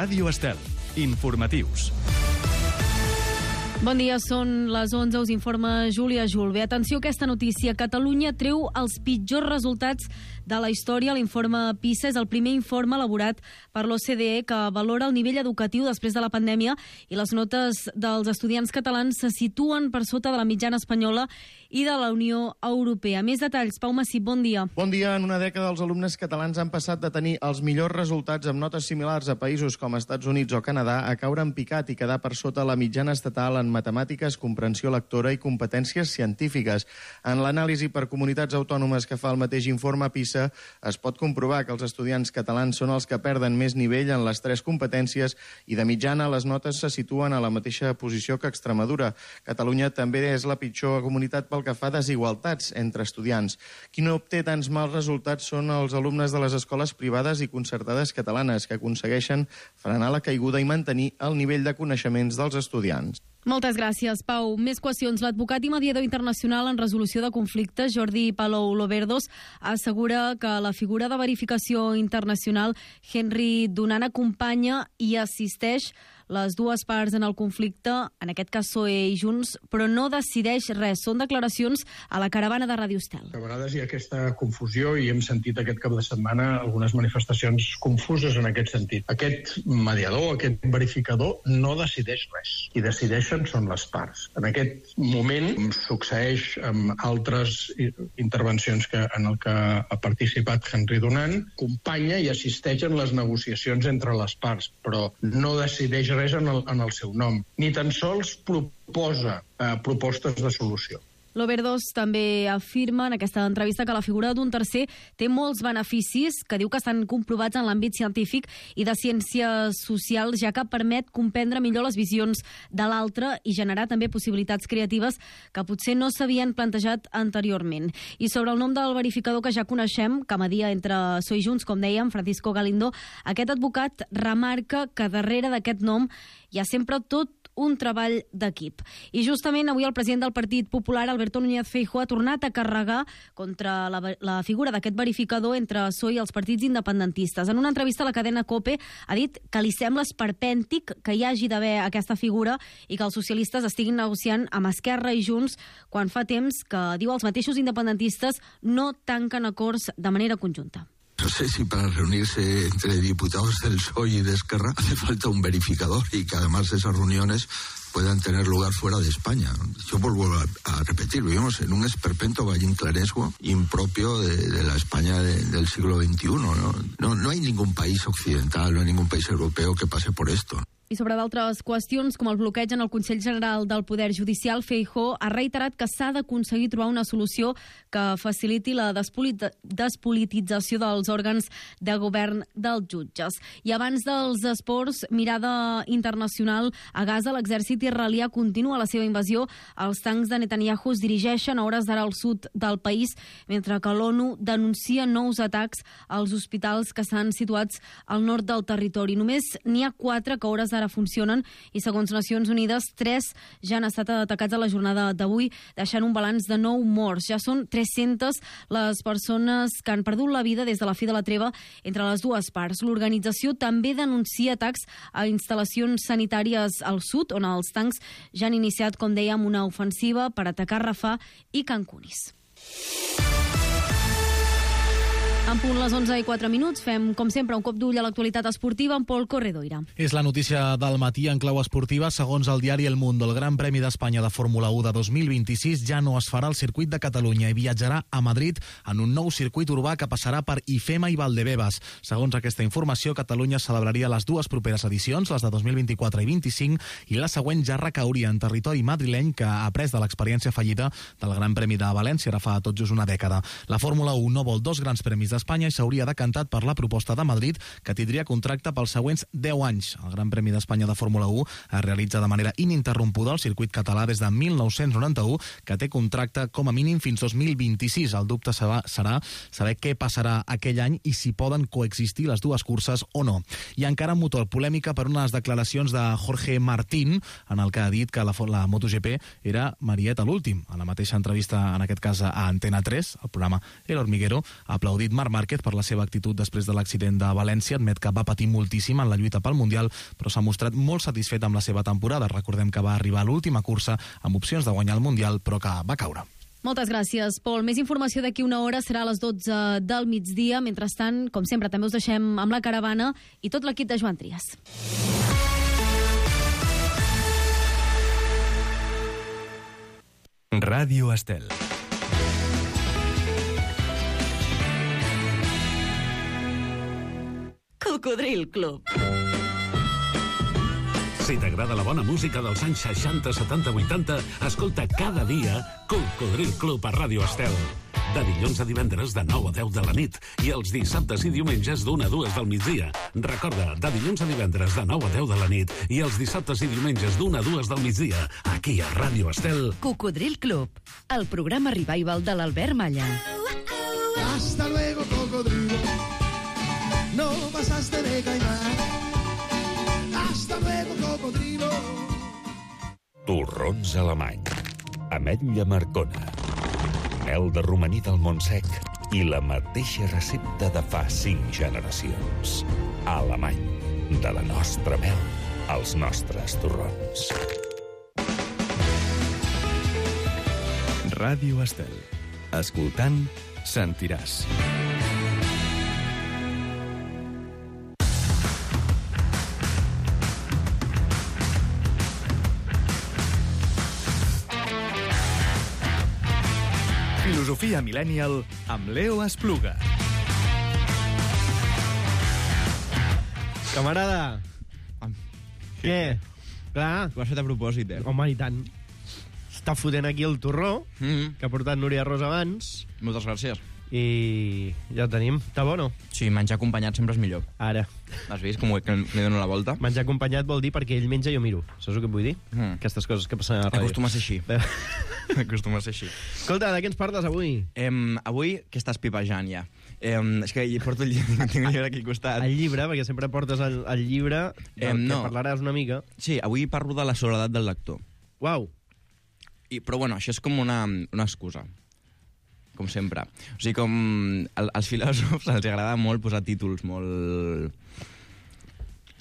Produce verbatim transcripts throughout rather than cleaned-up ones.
Ràdio Estel. Informatius. Bon dia, són les onze, us informa Júlia Julve. Atenció a aquesta notícia. Catalunya treu els pitjors resultats de la història. L'informe PISA és el primer informe elaborat per l'O C D E que valora el nivell educatiu després de la pandèmia i les notes dels estudiants catalans se situen per sota de la mitjana espanyola i de la Unió Europea. Més detalls, Pau Massip, bon dia. Bon dia. En una dècada els alumnes catalans han passat de tenir els millors resultats amb notes similars a països com Estats Units o Canadà a caure en picat i quedar per sota la mitjana estatal en matemàtiques, comprensió lectora i competències científiques. En l'anàlisi per comunitats autònomes que fa el mateix informe PISA, es pot comprovar que els estudiants catalans són els que perden més nivell en les tres competències i de mitjana les notes se situen a la mateixa posició que Extremadura. Catalunya també és la pitjor comunitat pel que fa a desigualtats entre estudiants. Qui no obté tants mals resultats són els alumnes de les escoles privades i concertades catalanes, que aconsegueixen frenar la caiguda i mantenir el nivell de coneixements dels estudiants. Moltes gràcies, Pau. Més qüestions. L'advocat i mediador internacional en resolució de conflictes, Jordi Palou Loverdos, assegura que la figura de verificació internacional Henry Dunant acompanya i assisteix les dues parts en el conflicte, en aquest cas P S O E i Junts, però no decideix res. Són declaracions a la caravana de Ràdio Estel. A vegades hi ha aquesta confusió i hem sentit aquest cap de setmana algunes manifestacions confuses en aquest sentit. Aquest mediador, aquest verificador, no decideix res. Qui decideixen són les parts. En aquest moment succeeix amb altres intervencions que, en el que ha participat Henry Dunant, acompanya i assisteix en les negociacions entre les parts, però no decideix res en el, en el seu nom, ni tan sols proposa eh, propostes de solució. Loverdos també afirma en aquesta entrevista que la figura d'un tercer té molts beneficis, que diu que estan comprovats en l'àmbit científic i de ciències socials, ja que permet comprendre millor les visions de l'altre i generar també possibilitats creatives que potser no s'havien plantejat anteriorment. I sobre el nom del verificador que ja coneixem, que media entre P S O E i Junts, com dèiem, Francisco Galindo, aquest advocat remarca que darrere d'aquest nom hi ha sempre tot un treball d'equip. I justament avui el president del Partit Popular, Alberto Núñez Feijóo, ha tornat a carregar contra la, la figura d'aquest verificador entre P S O E i els partits independentistes. En una entrevista a la cadena COPE ha dit que li sembla esperpèntic que hi hagi d'haver aquesta figura i que els socialistes estiguin negociant amb Esquerra i Junts quan fa temps que, diu, els mateixos independentistes no tanquen acords de manera conjunta. No sé si para reunirse entre diputados del P S O E y de Esquerra hace falta un verificador y que además esas reuniones puedan tener lugar fuera de España. Yo vuelvo a, a repetir, vivimos en un esperpento vallinclanesco impropio de, de la España de, del siglo veintiuno, ¿no? No, no hay ningún país occidental, no hay ningún país europeo que pase por esto. I sobre d'altres qüestions, com el bloqueig en el Consell General del Poder Judicial, Feijóo ha reiterat que s'ha d'aconseguir trobar una solució que faciliti la despolit- despolitització dels òrgans de govern dels jutges. I abans dels esports, mirada internacional, a Gaza l'exèrcit israelià continua la seva invasió. Els tancs de Netanyahu es dirigeixen a hores d'ara al sud del país, mentre que l'ONU denuncia nous atacs als hospitals que estan situats al nord del territori. Només n'hi ha quatre que a hores d'ara ara funcionen i, segons Nacions Unides, tres ja han estat atacats a la jornada d'avui, deixant un balanç de nou morts. Ja són tres-centes les persones que han perdut la vida des de la fi de la treva entre les dues parts. L'organització també denuncia atacs a instal·lacions sanitàries al sud, on els tancs ja han iniciat, com dèiem, una ofensiva per atacar Rafah i Can Yunis. En punt les onze i quatre minuts, fem, com sempre, un cop d'ull a l'actualitat esportiva amb Pol Corredoira. És la notícia del matí en clau esportiva. Segons el diari El Mundo, el Gran Premi d'Espanya de Fórmula u de dos mil vint-i-sis ja no es farà al circuit de Catalunya i viatjarà a Madrid en un nou circuit urbà que passarà per Ifema i Valdebebas. Segons aquesta informació, Catalunya celebraria les dues properes edicions, les de dos mil vint-i-quatre i vint-i-cinc, i la següent ja recauria en territori madrileny, que ha après de l'experiència fallida del Gran Premi de València ara fa tot just una dècada. La Fórmula u no vol dos grans premis d'Espanya i s'hauria decantat per la proposta de Madrid, que tindria contracte pels següents deu anys. El Gran Premi d'Espanya de Fórmula u es realitza de manera ininterrompuda al circuit català des de mil nou-cents noranta-u, que té contracte com a mínim fins dos mil vint-i-sis. El dubte serà saber què passarà aquell any i si poden coexistir les dues curses o no. I encara motor polèmica per unes declaracions de Jorge Martín, en el que ha dit que la, la MotoGP era Marieta l'últim. A la mateixa entrevista, en aquest cas a Antena tres, el programa El Hormiguero, ha aplaudit Marc Marc Márquez per la seva actitud després de l'accident de València. Admet que va patir moltíssim en la lluita pel Mundial, però s'ha mostrat molt satisfet amb la seva temporada. Recordem que va arribar a l'última cursa amb opcions de guanyar el Mundial, però que va caure. Moltes gràcies, Pol. Més informació d'aquí una hora serà a les dotze del migdia. Mentrestant, com sempre, també us deixem amb la caravana i tot l'equip de Joan Trias. Ràdio Estel. Cocodril Club. Si t'agrada la bona música dels anys seixanta, setanta, vuitanta, escolta cada dia Cocodril Club a Ràdio Estel. De dilluns a divendres de nou a deu de la nit i els dissabtes i diumenges d'una a dues del migdia. Recorda, de dilluns a divendres de nou a deu de la nit i els dissabtes i diumenges d'una a dues del migdia, aquí a Ràdio Estel. Cocodril Club, el programa revival de l'Albert Malla. Hasta luego, cocodrilo. No pasaste de caimán. Hasta luego, cocodrilo. Torrons alemany. Ametlla Marcona. Mel de romaní del Montsec i la mateixa recepta de fa cinc generacions. Alemany. De la nostra mel als nostres torrons. Ràdio Estel. Escoltant, sentiràs. Filosofia Millennial amb Leo Espluga. Camarada. Què? Clar. Ho has fet a propòsit, eh? Home, i tant. Està fotent aquí el torró, Mm. que ha portat Núria Ros abans. Moltes gràcies. I ja el tenim. Està bo, no? Sí, menjar acompanyat sempre és millor. Ara. Has vist com que li dono la volta? Menjar acompanyat vol dir perquè ell menja i jo miro. Saps el que vull dir? Mm. Aquestes coses que passen a la ràdio. Acostuma a ser així. Acostuma a ser així. Escolta, de què ens parles avui? Em, avui, que estàs pipejant ja? Em, és que hi porto el llibre, tinc el llibre aquí al costat. El llibre, perquè sempre portes el, el llibre del Em, que no. parlaràs una mica. Sí, avui parlo de la soledat del lector. Uau. I, però bueno, això és com una, una excusa. Com sempre. O sigui, com el, als filòsofs els agrada molt posar títols molt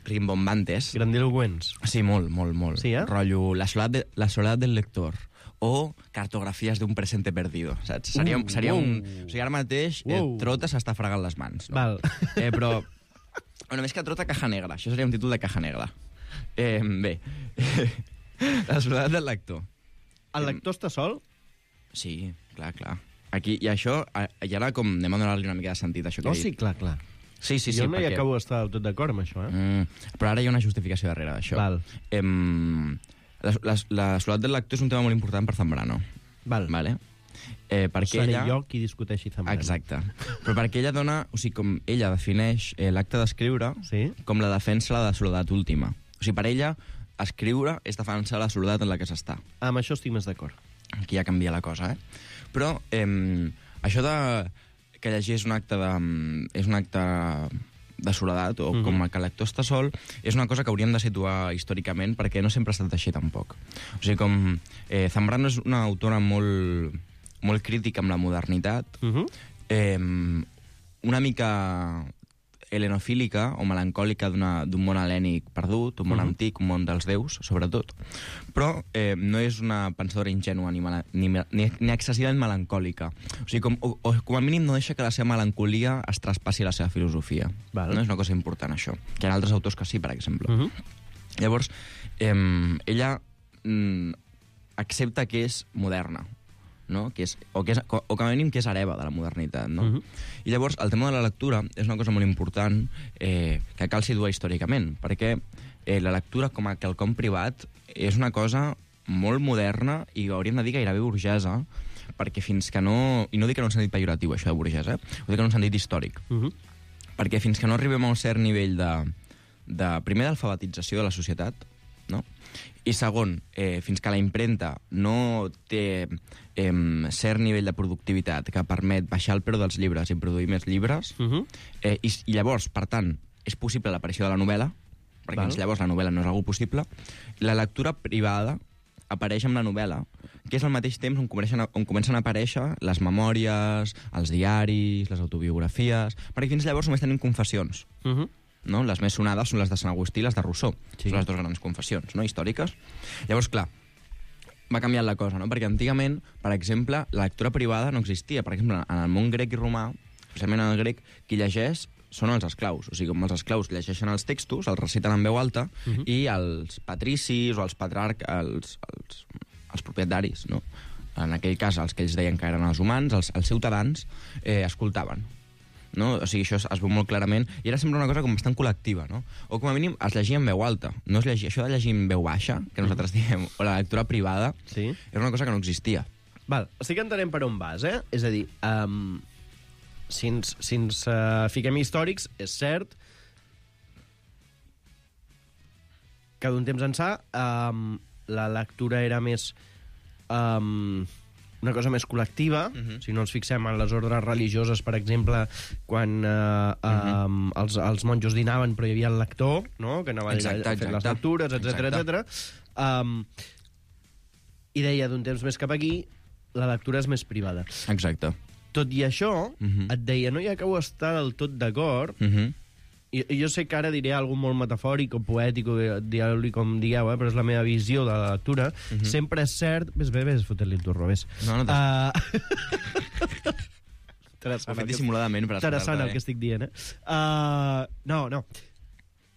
rimbombantes. Grandiloquents. Sí, molt, molt, molt. Sí, eh? Rotllo, la soledat, de, la soledat del lector o cartografies d'un presente perdido, saps? Seria, Uh, seria wow. un... O sigui, ara mateix eh, Wow. Trota s'està fregant les mans. No? Val. Eh, però... Bueno, més que Trota, Caja Negra. Això seria un títol de Caja Negra. Eh, bé. La soledat del lector. El lector està sol? Sí, clar, clar. Aquí, i això, i ara com anem a donar-li una mica de sentit a això que No, he dit. sí, clar, clar. Sí, sí, sí. Jo no hi perquè... acabo d'estar tot d'acord amb això, eh? Mm, però ara hi ha una justificació darrere d'això. Val. Em, la, la, la soledat del lector és un tema molt important per Zambrano. Val. Vale? Eh, perquè Seré ella... jo qui discuteixi Zambrano. Exacte. Però perquè ella dona... O sigui, com ella defineix eh, l'acte d'escriure sí? com la defensa de la soledat última. O sigui, per ella, escriure és defensar la soledat en la que s'està. Amb això estic més d'acord. Aquí ja canvia la cosa, eh? Però eh, això de que llegir és un acte de, és un acte de soledat, o Mhm. com que el lector està sol, és una cosa que hauríem de situar històricament, perquè no sempre ha estat així tampoc. O sigui, com eh, Zambrano és una autora molt, molt crítica amb la modernitat, Mhm. eh, una mica helenofílica o melancòlica d'un món helènic perdut, un món Mhm. antic, un món dels déus, sobretot, però eh, no és una pensadora ingènua ni, mala, ni, ni, ni excessivament melancòlica. O sigui, com, o, o com a mínim no deixa que la seva melancolia es traspassi a la seva filosofia. Val. No és una cosa important, això. Que hi ha altres autors que sí, per exemple. Mhm. Llavors, eh, ella mm, accepta que és moderna, no? Que és, o, que és, o com a mínim que és hereva de la modernitat, no? Mhm. I llavors el tema de la lectura és una cosa molt important eh, que cal situar històricament, perquè eh, la lectura com a quelcom privat és una cosa molt moderna i hauríem de dir gairebé burgesa, perquè fins que no... I no dic en un sentit pejoratiu, això de burgesa, eh? Ho dic en un sentit històric. Mhm. Perquè fins que no arribem a un cert nivell de, de primer, d'alfabetització de la societat, no? I segon, eh, fins que la impremta no té eh, cert nivell de productivitat que permet baixar el preu dels llibres i produir més llibres, Mhm. eh, i, i llavors, per tant, és possible l'aparició de la novel·la, perquè Val. llavors la novel·la no és algo possible, la lectura privada apareix amb la novel·la, que és al mateix temps on comencen, a, on comencen a aparèixer les memòries, els diaris, les autobiografies, perquè fins llavors només tenim confessions. Uh -huh. No? Les més sonades són les de Sant Agustí i les de Rousseau. Sí. Són les dues grans confessions, no?, històriques. Llavors, clar, va canviant la cosa, no? Perquè antigament, per exemple, la lectura privada no existia. Per exemple, en el món grec i romà, especialment en el grec, qui llegeix són els esclaus. O sigui, com els esclaus llegeixen els textos, els reciten en veu alta, uh -huh. i els patricis o els patriarcs, els, els, els propietaris, no?, en aquell cas, els que ells deien que eren els humans, els, els ciutadans, eh, escoltaven. No? O sigui, això es, es veu molt clarament, i era sempre una cosa com bastant col·lectiva, no? O com a mínim es llegia en veu alta. No es llegia, això de llegir en veu baixa, que nosaltres diem, o la lectura privada, sí. era una cosa que no existia. Val, estic entenent per on vas, eh? És a dir, um, si ens, si ens uh, fiquem històrics, és cert que d'un temps ençà um, la lectura era més... Um, una cosa més col·lectiva. Uh-huh. Si no ens fixem en les ordres religioses, per exemple, quan uh, uh, uh-huh. els, els monjos dinaven però hi havia el lector, no?, que anava exacte, a fer exacte. les lectures, etcètera, etcètera. Um, I deia, d'un temps més cap aquí, la lectura és més privada. Exacte. Tot i això, uh-huh. et deia, no hi acabo d'estar del tot d'acord, uh-huh. I, jo sé que ara diré alguna molt metafòric o poètic, o dieu-li com digueu, eh, però és la meva visió de la lectura. Uh-huh. Sempre és cert... Ves, ves, ves, fot-li el turro, ves. No, no t'has... Uh... Ho he fet dissimuladament per escoltar-te. Interessant el que estic dient, eh? Uh... No, no.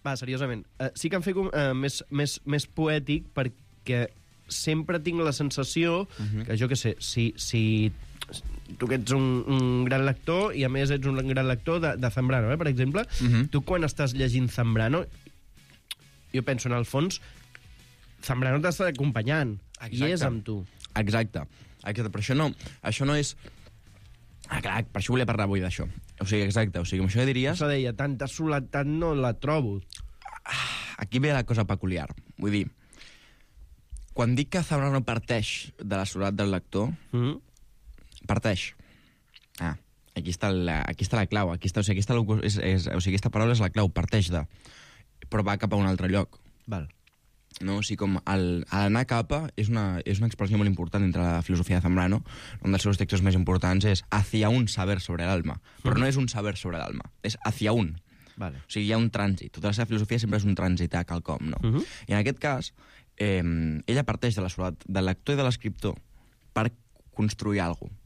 Va, seriosament. Uh, sí que em fet uh, més, més, més poètic perquè sempre tinc la sensació uh-huh. que, jo què sé, si... si tu que ets un, un gran lector i a més ets un gran lector de, de Zambrano, eh, per exemple, uh-huh. tu quan estàs llegint Zambrano, jo penso en el fons Zambrano t'està acompanyant. Exacte. I és amb tu. Exacte. Exacte. Però això no, això no és... Ah, clar, per això volia parlar avui d'això. O sigui, exacte. O sigui, com això que diries... Això deia, tanta soledat no la trobo. Aquí ve la cosa peculiar. Vull dir, quan dic que Zambrano parteix de la soledat del lector, mm-hmm. parteix. Ah, aquí està la, aquí està la clau. Aquí està, o sigui, aquí està, és, és, o sigui, aquesta paraula és la clau, parteix de... Però va cap a un altre lloc. Val. No? O sigui, com el, l'anar capa és una, és una expressió molt important entre la filosofia de Zambrano. Un dels seus textos més importants és hacia un saber sobre l'alma. Però no és un saber sobre l'alma, és hacia un. Vale. O sigui, hi ha un trànsit. Tota la seva filosofia sempre és un trànsit a quelcom, no? Uh-huh. I en aquest cas, eh, ella parteix de la soledat del lector i de l'escriptor per construir alguna cosa.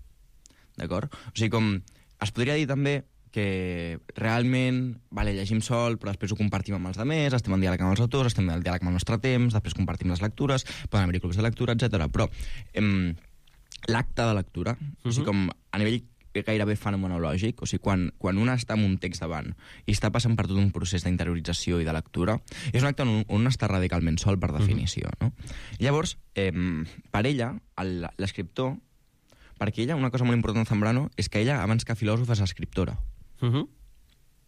D'acord? O sigui, com... Es podria dir també que realment, vale, llegim sol, però després ho compartim amb els altres, estem en diàleg amb els autors, estem en diàleg amb el nostre temps, després compartim les lectures, poden haver-hi clubs de lectura, etcètera. Però em, l'acte de lectura, uh-huh. o sigui, com a nivell gairebé fenomenològic, o sigui, quan, quan un està amb un text davant i està passant per tot un procés d'interiorització i de lectura, és un acte on un està radicalment sol, per definició. Uh-huh. No? Llavors, eh, per ella, el, l'escriptor, perquè ella, una cosa molt important de Zambrano, és que ella, abans que filòsofa, és escriptora. Uh-huh.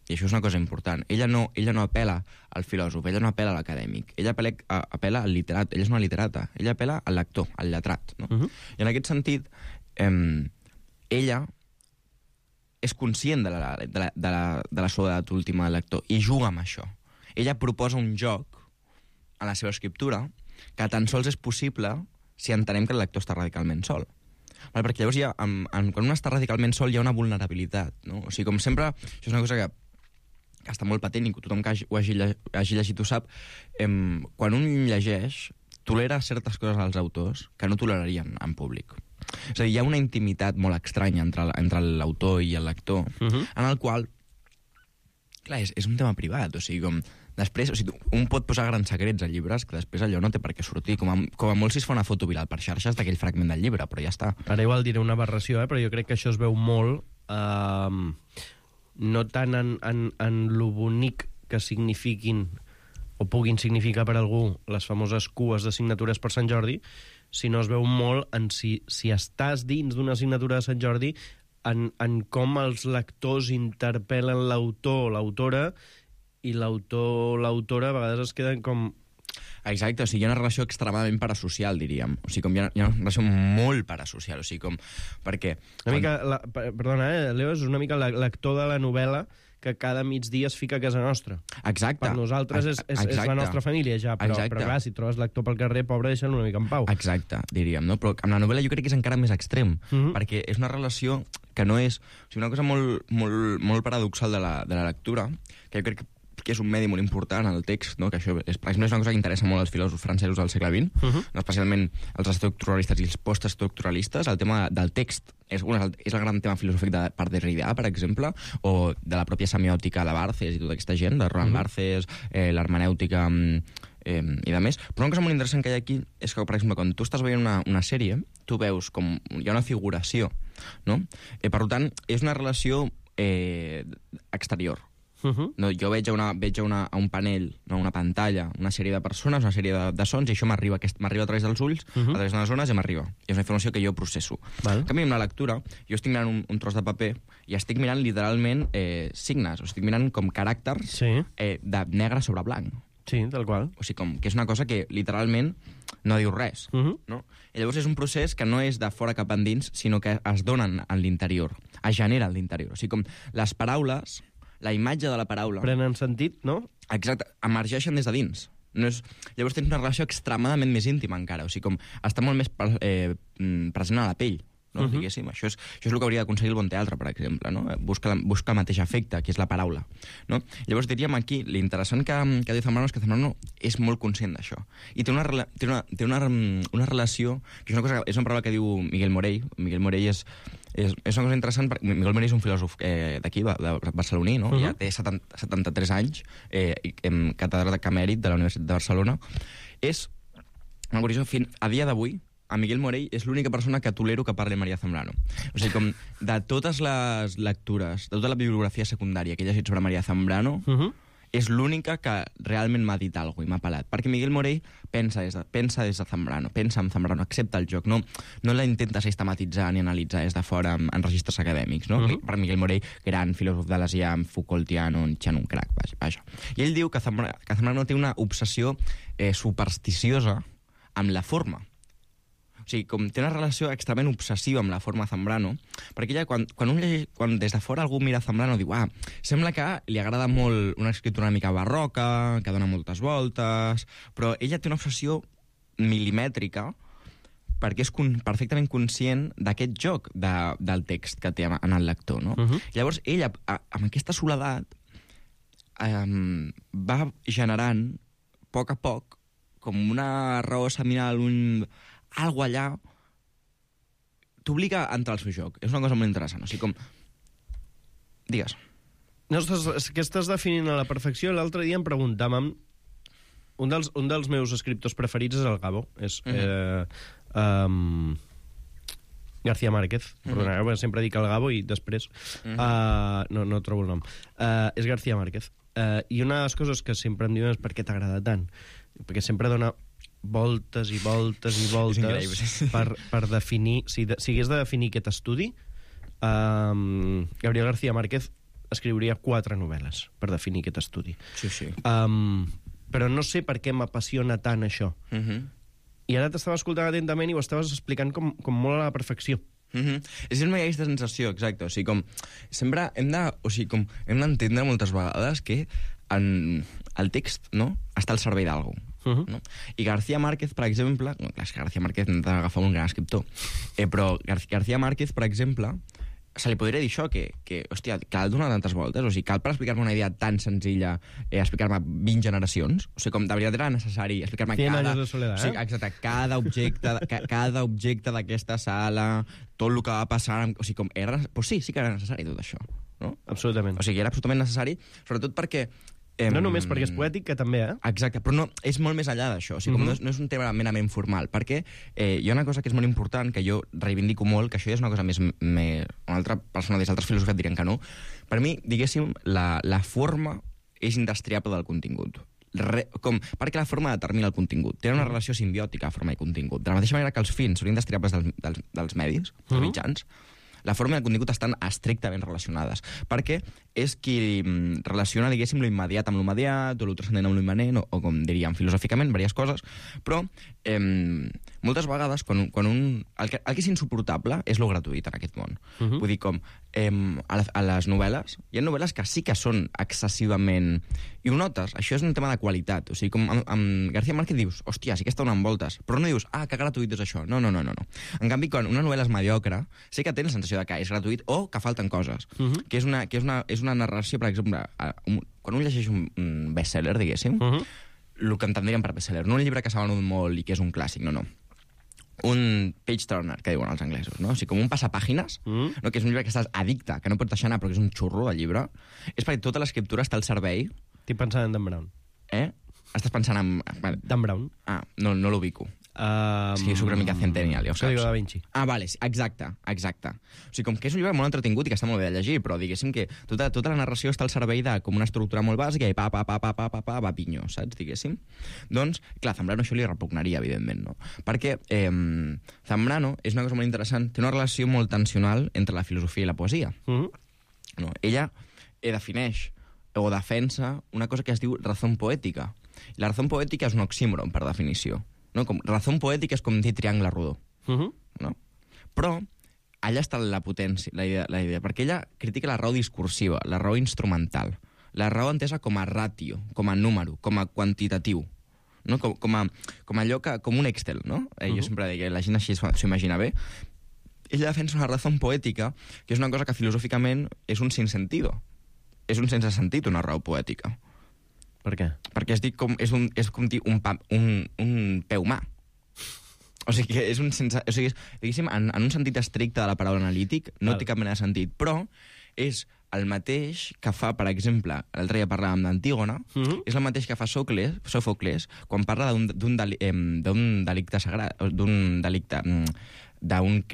I això és una cosa important. Ella no, ella no apela al filòsof, ella no apela a l'acadèmic, ella apela, apela al literat, ella és una literata, ella apela al lector, al lletrat. No? Uh-huh. I en aquest sentit, eh, ella és conscient de la, de la, de la, de la soledat última del lector i juga amb això. Ella proposa un joc a la seva escriptura que tan sols és possible si entenem que el lector està radicalment sol. Vale, perquè llavors hi ha, en, en, quan un està radicalment sol hi ha una vulnerabilitat, no? O sigui, com sempre, això és una cosa que, que està molt patent i tothom que hagi, ho hagi, hagi llegit ho sap, em, quan un llegeix, tolera certes coses als autors que no tolerarien en públic. És a dir, hi ha una intimitat molt estranya entre, entre l'autor i el lector, uh-huh. en el qual, clar, és, és un tema privat, o sigui, com... Després, o sigui, un pot posar grans secrets a llibres que després allò no té per què sortir. Com a, com a molt si es fa una foto viral per xarxes d'aquell fragment del llibre, però ja està. Ara igual diré una aberració, eh? Però jo crec que això es veu molt, eh, no tant en, en, en lo bonic que signifiquin o puguin significar per algú les famoses cues de signatures per Sant Jordi, sinó es veu molt en si, si estàs dins d'una signatura de Sant Jordi, en, en com els lectors interpel·len l'autor o l'autora, i l'autor o l'autora a vegades es queden com Exacte, o sigui, hi ha una relació extremadament parasocial, diríem. O sigui, com hi ha, hi ha una relació molt parasocial, o sigui, com... Perquè... Una mica, la, perdona, eh, Leo, és una mica l'actor de la novel·la que cada migdia es fica a casa nostra. Exacte. Per nosaltres és, és, és la nostra família, ja, però, però clar, si trobes l'actor pel carrer, pobre, deixa'l una mica en pau. Exacte, diríem, no? Però amb la novel·la jo crec que és encara més extrem, uh-huh. perquè és una relació que no és... O sigui, una cosa molt, molt, molt paradoxal de la, de la lectura, que jo crec que que és un medi molt important, el text, no? Que això és, és una cosa que interessa molt als filòsofs francesos del segle vint, uh-huh. no? Especialment els estructuralistes i els postestructuralistes. El tema del text és, un, és el gran tema filosòfic de, per Derrida, per exemple, o de la pròpia semiòtica de Barthes i tota aquesta gent, de Roland uh-huh. Barthes, eh, l'hermenèutica eh, i de més. Però una cosa molt interessant que hi ha aquí és que, per exemple, quan tu estàs veient una, una sèrie, tu veus com hi ha una figuració, no? Eh, per tant, és una relació eh, exterior. Uh-huh. No, jo veig, una, veig una, a un panell, no, una pantalla, una sèrie de persones, una sèrie de, de sons, i això m'arriba m'arriba a través dels ulls, uh-huh. a través de les zones, i m'arriba. I és una informació que jo processo. Val. En canvi, amb la lectura, jo estic mirant un, un tros de paper i estic mirant literalment eh, signes, o estic mirant com caràcters sí. eh, de negre sobre blanc. Sí, tal qual. O sigui, com que és una cosa que literalment no diu res. Uh-huh. No? I llavors és un procés que no és de fora cap endins, sinó que es donen en l'interior, es genera en l'interior. O sigui, com les paraules... La imatge de la paraula... Prenen sentit, no? Exacte, emergeixen des de dins. No és... Llavors tens una relació extremadament més íntima encara, o sigui, com està molt més eh, present a la pell, no? Uh-huh. Diguéssim. Això és, això és el que hauria d'aconseguir el bon teatre, per exemple, no? Busca, busca el mateix efecte, que és la paraula, no? Llavors diríem aquí, l'interessant que, que diu Zambrano és que Zambrano és molt conscient d'això. I té una, té una, té una, una relació, que és una, cosa, és una paraula que diu Miguel Morell. Miguel Morell és... És, és una cosa interessant, perquè Miguel Morell és un filòsof eh, d'aquí, de barceloní, no? Uh-huh. Ja té setanta, setanta-tres anys, eh, en catedràtic emèrit de la Universitat de Barcelona. És, una curiosa, a dia d'avui, a Miguel Morell és l'única persona que tolero que parli María Zambrano. O sigui, com de totes les lectures, de tota la bibliografia secundària que he llegit sobre María Zambrano, uh-huh. és l'única que realment m'ha dit alguna cosa i m'ha pelat. Perquè Miguel Morell pensa des de, pensa des de Zambrano, pensa en Zambrano, accepta el joc, no, no la intenta sistematitzar ni analitzar des de fora en, en registres acadèmics, no? Uh-huh. Per Miguel Morell, gran filòsof de l'Asiam, Foucaultiano, Chan un crac, vaja, vaja. I ell diu que Zambrano, que Zambrano té una obsessió eh, supersticiosa amb la forma. O sigui, com té una relació extremament obsessiva amb la forma Zambrano, perquè ella, quan, quan, un llegeix, quan des de fora algú mira Zambrano, diu, ah, sembla que li agrada molt una escriptura una mica barroca, que dona moltes voltes, però ella té una obsessió milimètrica perquè és con perfectament conscient d'aquest joc de, del text que té en el lector, no? Uh-huh. Llavors, ella, a, amb aquesta soledat, eh, va generant, a poc a poc, com una raó seminal, un... algo allà t'obliga a entrar al seu joc. És una cosa molt interessant. O sigui, com... Digues. No, estàs, que estàs definint a la perfecció. L'altre dia em preguntàvem... Un dels, un dels meus escriptors preferits és el Gabo. És... Uh-huh. eh, um, García Márquez. Uh-huh. Perdoneu, sempre dic el Gabo i després... Uh-huh. uh, no, no trobo el nom. Uh, és García Márquez. Uh, I una de les coses que sempre em diuen és per què t'agrada tant. Perquè sempre dona... voltes i voltes i voltes per, per definir... Si, de, si hagués de definir aquest estudi, um, Gabriel García Márquez escriuria quatre novel·les per definir aquest estudi. Sí, sí. Um, però no sé per què m'apassiona tant això. Uh-huh. I ara t'estava escoltant atentament i ho estaves explicant com, com molt a la perfecció. Uh-huh. És una aquesta sensació, exacte. O sigui, com... Sempre hem de... O sigui, com... Hem d'entendre moltes vegades que en el text, no?, està al servei d'algú. Uh-huh. No? I García Márquez, per exemple... No, clar, és que García Márquez hem d'agafar un gran escriptor. Eh, però Gar García Márquez, per exemple, se li podria dir això, que, que hòstia, cal donar tantes voltes? O sigui, cal per explicar-me una idea tan senzilla eh, explicar-me vint generacions? O sigui, com de veritat era necessari explicar-me cada... De soledat, o sigui, exacte, cada objecte, ca cada objecte d'aquesta sala, tot el que va passar... O sigui, com era... Pues sí, sí que era necessari tot això, no? Absolutament. O sigui, era absolutament necessari, sobretot perquè... No només perquè és poètic, que també, eh? Exacte, però no, és molt més enllà d'això. O sigui, com uh-huh. no, és, no és un tema merament formal, perquè eh, hi ha una cosa que és molt important, que jo reivindico molt, que això ja és una cosa més... més una altra persona des d'altres filòsofs et dirien que no. Per mi, diguéssim, la, la forma és indestriable del contingut. Re, com, perquè la forma determina el contingut. Té una relació simbiòtica, forma i contingut. De la mateixa manera que els fins són indestriables dels, dels, dels medis, dels mitjans, la forma i el contingut estan estrictament relacionades, perquè és qui mm, relaciona, diguéssim, lo immediat amb lo immediat, o lo transcendent amb lo immanent, o, o com diríem filosòficament, diverses coses, però eh, moltes vegades, quan, quan un... El que, el que és insuportable és lo gratuït en aquest món. Uh -huh. Vull dir, com eh, a, la, a les novel·les, hi ha novel·les que sí que són excessivament... I ho notes, això és un tema de qualitat. O sigui, com amb, amb García Márquez dius, hòstia, sí que està donant voltes, però no dius, ah, que gratuït és això. No, no, no, no. En canvi, quan una novel·la és mediocre, sí que tens la sensació de que és gratuït o que falten coses. Uh -huh. Que és una, que és una, és una narració, per exemple, un, quan un llegeix un, un best-seller, diguéssim, uh -huh. el que entendríem per best-seller, no un llibre que s'ha venut molt i que és un clàssic, no, no. Un page-turner, que diuen els anglesos, no? O sigui, com un passapàgines, mm. no? Que és un llibre que estàs addicte, que no pots deixar anar, però que és un xurro, el llibre, és perquè tota l'escriptura està al servei. Estic pensant en Dan Brown. Eh? Estàs pensant en... Dan Brown. Ah, no, no l'ubico. Um... Sí, soc una mica centennial, ja ho saps. Código da Vinci. Ah, vale, exacte, exacte. O sigui, com que és un llibre molt entretingut i que està molt bé de llegir, però diguéssim que tota, tota la narració està al servei de com una estructura molt bàsica i pa, pa, pa, pa, pa, pa, pa, va pinyo, saps, diguéssim? Doncs, clar, Zambrano això li repugnaria, evidentment, no? Perquè eh, Zambrano és una cosa molt interessant, té una relació molt tensional entre la filosofia i la poesia. Mm-hmm. No? Ella eh, defineix o defensa una cosa que es diu razón poètica. I la razón poètica és un oxímoron, per definició. No? Com, razón poètica és com dir triangle rodó. Uh-huh. No? Però allà està la potència, la idea, la idea, perquè ella critica la raó discursiva, la raó instrumental, la raó entesa com a ràtio, com a número, com a quantitatiu, no? com, com, a, com allò que, com un Excel, no? Eh, uh-huh. Jo sempre dic que la gent així s'ho imagina bé. Ella defensa una raó poètica, que és una cosa que filosòficament és un sinsentido. És un sense sentit, una raó poètica. Per què? Perquè es dic com, és, un, és com dir un, pa, un, un peu humà. O sigui, que és un sense... O sigui, és, diguéssim, en, en un sentit estricte de la paraula analític, no Val. Té cap mena de sentit, però és el mateix que fa, per exemple, l'altre dia parlàvem d'Antígona, uh -huh. és el mateix que fa Sòcles, Sòfocles, quan parla d'un deli, eh, delicte sagrat, d'un delicte... d'un...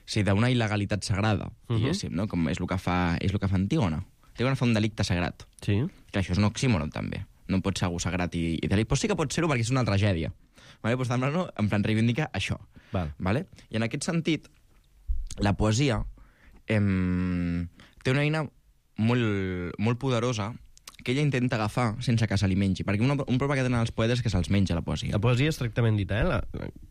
Sí, d'una il·legalitat sagrada, diguéssim, uh -huh. no? Com és el que fa, és el que fa Antígona. Antígona fa un delicte sagrat. Sí. Que això és un oxímoron, també. No pot ser algú sagrat i, i delicte. Però sí que pot ser-ho perquè és una tragèdia. Vale? Pues, no? En plan, reivindica això. Val. Vale? I en aquest sentit, la poesia em, té una eina molt, molt poderosa que ella intenta agafar sense que se li mengi. Perquè un, un problema que tenen els poetes és que se'ls menja la poesia. La poesia és tractament dita, eh? La...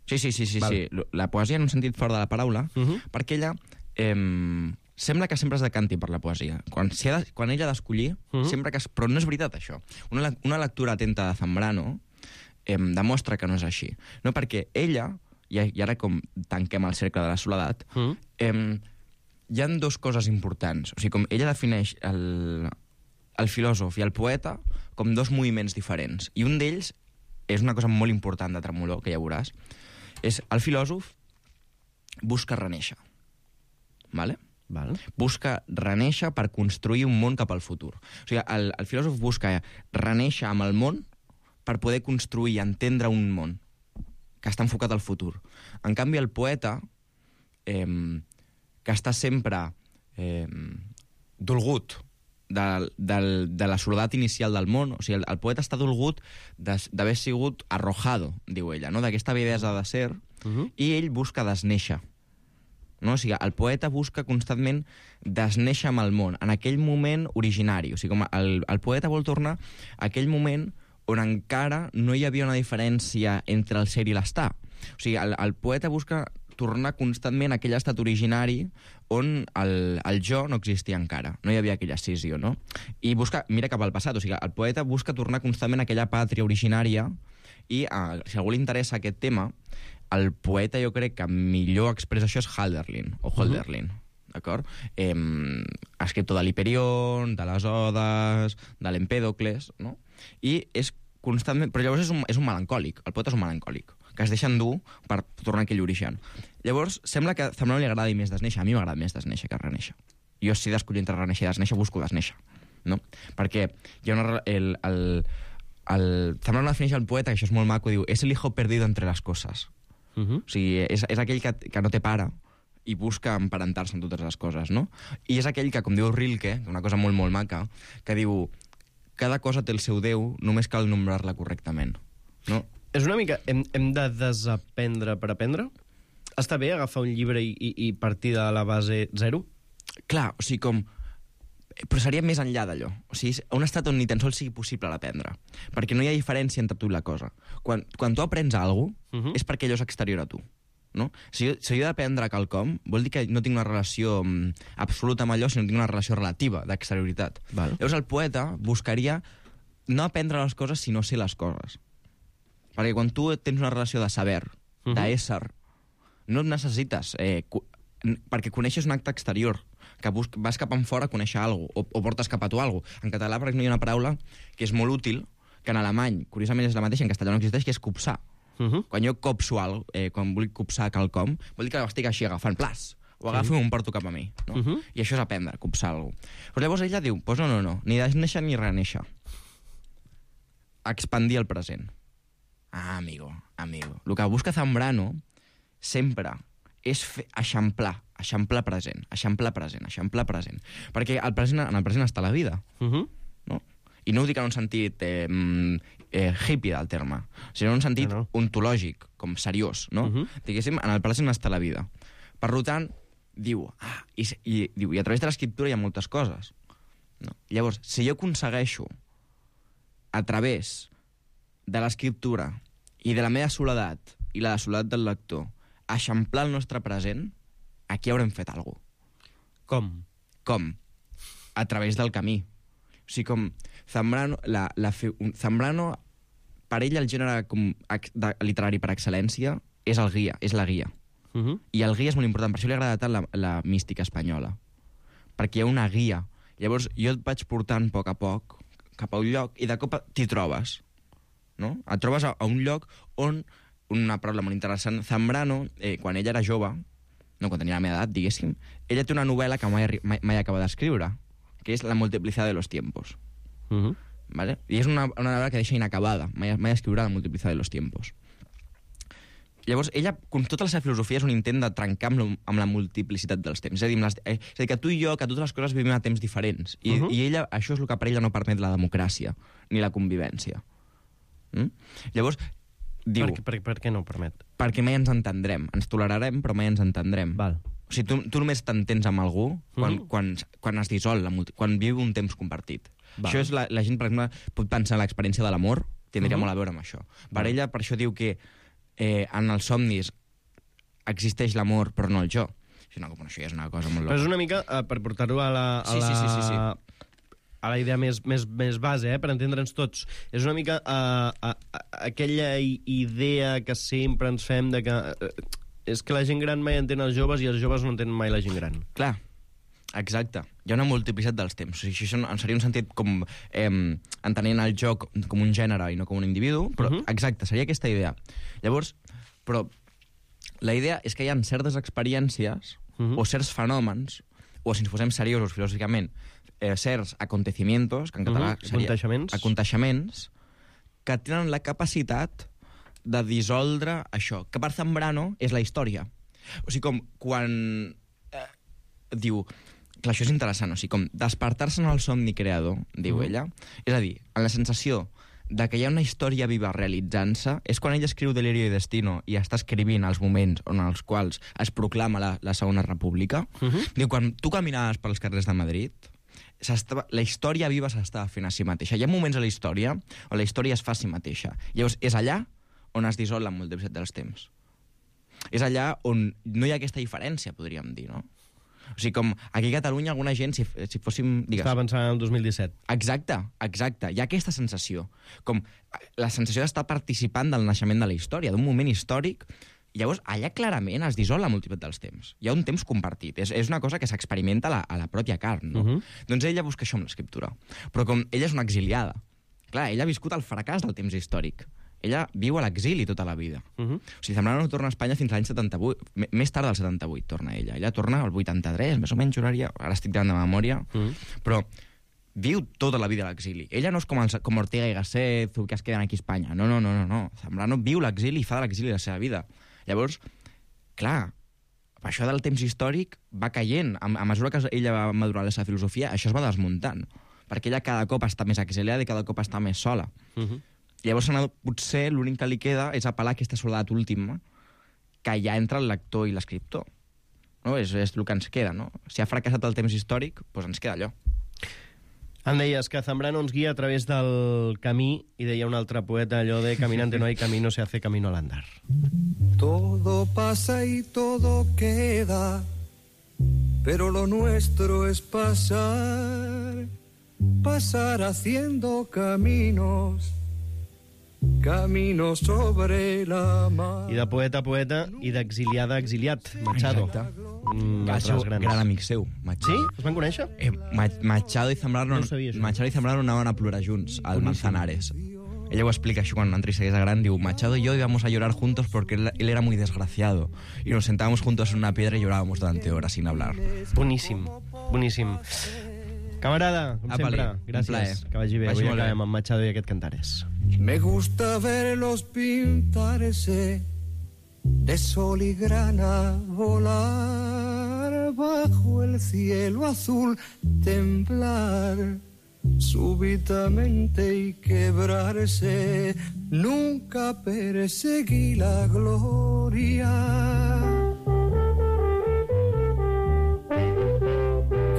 Sí, sí, sí, sí, sí. La poesia en un sentit fort de la paraula, uh -huh. perquè ella... Em, sembla que sempre es decanti per la poesia. Quan, si ha de, quan ella ha d'escollir, uh -huh. sempre que... Es, però no és veritat, això. Una, una lectura atenta de Zambrano eh, demostra que no és així. No, perquè ella, i, i ara com tanquem el cercle de la soledat, uh -huh. eh, hi ha dues coses importants. O sigui, com ella defineix el, el filòsof i el poeta com dos moviments diferents. I un d'ells és una cosa molt important de Tremolor, que ja veuràs, és el filòsof busca renéixer. Vale? Val. Busca renéixer per construir un món cap al futur. O sigui, el, el filòsof busca renéixer amb el món per poder construir i entendre un món que està enfocat al futur. En canvi, el poeta, eh, que està sempre eh, dolgut de, de, de la soledat inicial del món, o sigui, el, el poeta està dolgut d'haver sigut arrojado, diu ella, no? D'aquesta avidesa de ser, uh -huh. i ell busca desnéixer. No? O sigui, el poeta busca constantment desnéixer amb el món, en aquell moment originari. O sigui, com el, el poeta vol tornar a aquell moment on encara no hi havia una diferència entre el ser i l'estar. O sigui, el, el poeta busca tornar constantment a aquell estat originari on el, el jo no existia encara. No hi havia aquella escissió, no? I busca, mira cap al passat, o sigui, el poeta busca tornar constantment a aquella pàtria originària i, eh, si a algú li interessa aquest tema, el poeta, jo crec que millor expressa això és Hölderlin, o Hölderlin, uh -huh. d'acord? Eh, escriptor de l'Hiperion, de les Odes, de l'Empèdocles, no? I és constantment... Però llavors és un, és un melancòlic, el poeta és un melancòlic, que es deixa endur per tornar a aquell origen. Llavors, sembla que a Zambrano li agradi més desnéixer, a mi m'agrada més desnéixer que renéixer. Jo, si d'escollir entre renéixer i desnéixer, busco desnéixer, no? Perquè hi ha una... El, el, el, Zambrano defineix el poeta, que això és molt maco, diu, és el hijo perdido entre les coses. Uh -huh. O sigui, és, és aquell que, que no té pare i busca emparentar-se en totes les coses, no? I és aquell que, com diu Rilke, una cosa molt, molt maca, que diu, cada cosa té el seu Déu, només cal nombrar-la correctament, no? És una mica... Hem, hem de desaprendre per aprendre? Està bé agafar un llibre i, i, i partir de la base zero? Clar, o sigui, com... Però seria més enllà d'allò. O sigui, un estat on ni tan sols sigui possible l'aprendre. Perquè no hi ha diferència entre tu i la cosa. Quan, quan tu aprens alguna cosa, uh -huh. és perquè allò és exterior a tu. No? Si, jo, si jo he d'aprendre quelcom, vol dir que no tinc una relació um, absoluta amb allò, sinó que tinc una relació relativa d'exterioritat. Val. Llavors el poeta buscaria no aprendre les coses, sinó ser les coses. Perquè quan tu tens una relació de saber, uh -huh. d'ésser, no necessites... Eh, perquè coneixes un acte exterior, que bus vas cap enfora a conèixer alguna cosa, o, o portes cap a tu alguna cosa. En català, per exemple, hi ha una paraula que és molt útil, que en alemany, curiosament, és la mateixa, en castellà no existeix, que és copsar. Uh -huh. Quan jo copso alguna cosa, eh, quan vull copsar quelcom, vol dir que estic així agafant plas, o agafo i uh -huh. m'ho porto cap a mi. No? Uh -huh. I això és aprendre, copsar alguna cosa. Però llavors ella diu, pues no, no, no, ni néixer ni reneixer. Expandir el present. Ah, amigo, amigo. El que busca Zambrano sempre és fer, eixamplar, eixamplar present, eixamplar present, eixamplar present. Perquè el present, en el present està la vida. Uh -huh. No? I no ho dic en un sentit eh, eh, hippie del terme, sinó en un sentit no, no. ontològic, com seriós, no? Uh -huh. Diguéssim, en el present està la vida. Per tant, diu, ah, i, i, diu, i a través de l'escriptura hi ha moltes coses. No? Llavors, si jo aconsegueixo, a través de l'escriptura i de la meva soledat i la de soledat del lector, eixamplar el nostre present, aquí haurem fet alguna cosa. Com? Com? A través del camí. O sigui, com Zambrano, la, la, Zambrano per ell el gènere com, de, literari per excel·lència és el guia, és la guia. Uh -huh. I el guia és molt important, per això li agrada tant la, la mística espanyola. Perquè hi ha una guia. Llavors jo et vaig portant a poc a poc cap a un lloc i de cop t'hi trobes. No? Et trobes a, a un lloc on... Una paraula molt interessant. Zambrano, eh, quan ella era jove, no, quan tenia la meva edat, diguéssim, ella té una novel·la que mai, mai, mai acaba d'escriure, que és La multiplicidad de los tiempos. Uh -huh. ¿Vale? I és una, una novel·la que deixa inacabada. Mai, mai escriurà La multiplicidad de los tiempos. Llavors, ella, com tota la seva filosofia, és un intent de trencar amb, lo, amb la multiplicitat dels temps. És a dir, les, eh, és a dir, que tu i jo, que totes les coses vivim a temps diferents. I, uh -huh. i ella, això és el que per ella no permet la democràcia, ni la convivència. Mm? Llavors, diu... Per, per, per què no ho permet? Perquè mai ens entendrem. Ens tolerarem, però mai ens entendrem. Val. O sigui, tu, tu només t'entens amb algú quan, mm -hmm. quan, quan es dissol, la multi... quan viu un temps compartit. Val. Això és la, la gent, per exemple, pot pensar en l'experiència de l'amor, tindria mm -hmm. molt a veure amb això. Per Val. ella, per això diu que eh, en els somnis existeix l'amor, però no el jo. Això, no, això ja és una cosa molt loca. Però és una mica, eh, per portar-ho a la... A sí, la... sí, sí, sí, sí. a la idea més, més, més base, eh, per entendre'ns tots. És una mica uh, uh, uh, aquella idea que sempre ens fem de que uh, és que la gent gran mai entén els joves i els joves no entenen mai la gent gran. Clar, exacte. Hi ha una multiplicitat dels temps. O sigui, això seria un sentit com eh, entenent el joc com un gènere i no com un individu, però uh -huh. exacte, seria aquesta idea. Llavors, però la idea és que hi ha certes experiències uh -huh. o certs fenòmens, o si ens posem seriosos filosòficament, Eh, certs acontecimientos, que en català uh -huh. seria... Aconteixements. Aconteixements, que tenen la capacitat de dissoldre això, que per Zambrano és la història. O sigui, com quan... Eh, diu... Clar, això és interessant, o sigui, com despertar-se en el somni creador, diu uh -huh. ella, és a dir, en la sensació de que hi ha una història viva realitzant-se, és quan ella escriu Delirio i Destino i està escrivint els moments en els quals es proclama la, la Segona República. Uh -huh. Diu, quan tu caminaves pels carrers de Madrid... la història viva s'estava fent a si mateixa. Hi ha moments a la història on la història es fa a si mateixa. Llavors, és allà on es dissol la multiplicitat dels temps. És allà on no hi ha aquesta diferència, podríem dir, no? O sigui, com aquí a Catalunya alguna gent, si, si fóssim... Digues, estava pensant en el dos mil disset. Exacte, exacte. Hi ha aquesta sensació. Com la sensació d'estar participant del naixement de la història, d'un moment històric. Llavors, allà clarament es dissol la multiplicitat dels temps. Hi ha un temps compartit. És, és una cosa que s'experimenta a, la, a la pròpia carn, no? Uh -huh. Doncs ella busca això amb l'escriptura. Però com ella és una exiliada, clar, ella ha viscut el fracàs del temps històric. Ella viu a l'exili tota la vida. Uh -huh. O sigui, Zambrano no torna a Espanya fins l'any setanta-vuit. M més tard del setanta-vuit torna ella. Ella torna al vuitanta-tres, més o menys, juraria. Ara estic tirant de memòria. Uh -huh. Però viu tota la vida a l'exili. Ella no és com, els, com Ortega i Gasset, que es queden aquí a Espanya. No, no, no, no. no. Zambrano viu l'exili i fa de l'exili la seva vida. Llavors, clar, això del temps històric va caient. A, a mesura que ella va madurar la seva filosofia, això es va desmuntant. Perquè ella cada cop està més exiliada i cada cop està més sola. Uh -huh. Llavors, potser l'únic que li queda és apel·lar a aquesta soledat última, que hi ha entre el lector i l'escriptor. No? És, és el que ens queda, no? Si ha fracassat el temps històric, doncs ens queda allò. Em deies que Zambrano ens guia a través del camí i deia un altre poeta allò de caminante no hay camino, se hace camino al andar. Todo pasa y todo queda, pero lo nuestro es pasar, pasar haciendo caminos, caminos sobre la mar. I de poeta a poeta i d'exiliada a exiliat, Machado. Exacte. Mm, Va ser grans. gran amic seu, Machado. Sí? Es van conèixer? Eh, Ma Machado i Zambrano, No ho sabia, això. Machado i Zambrano anaven a plorar junts al Boníssim. Manzanares. Ella ho explica així quan Andrés segueix gran, diu, Machado y yo íbamos a llorar juntos porque él, él era muy desgraciado y nos sentábamos juntos en una piedra y llorábamos durante horas sin hablar. Boníssim, boníssim. Camarada, com Apa, sempre, un gràcies. plaer. Que vagi bé. Vagi Avui molt bé. acabem amb Machado i aquest Cantares. Me gusta verlos pintarse de sol y grana, volar bajo el cielo azul, temblar súbitamente y quebrarse. Nunca perseguí la gloria.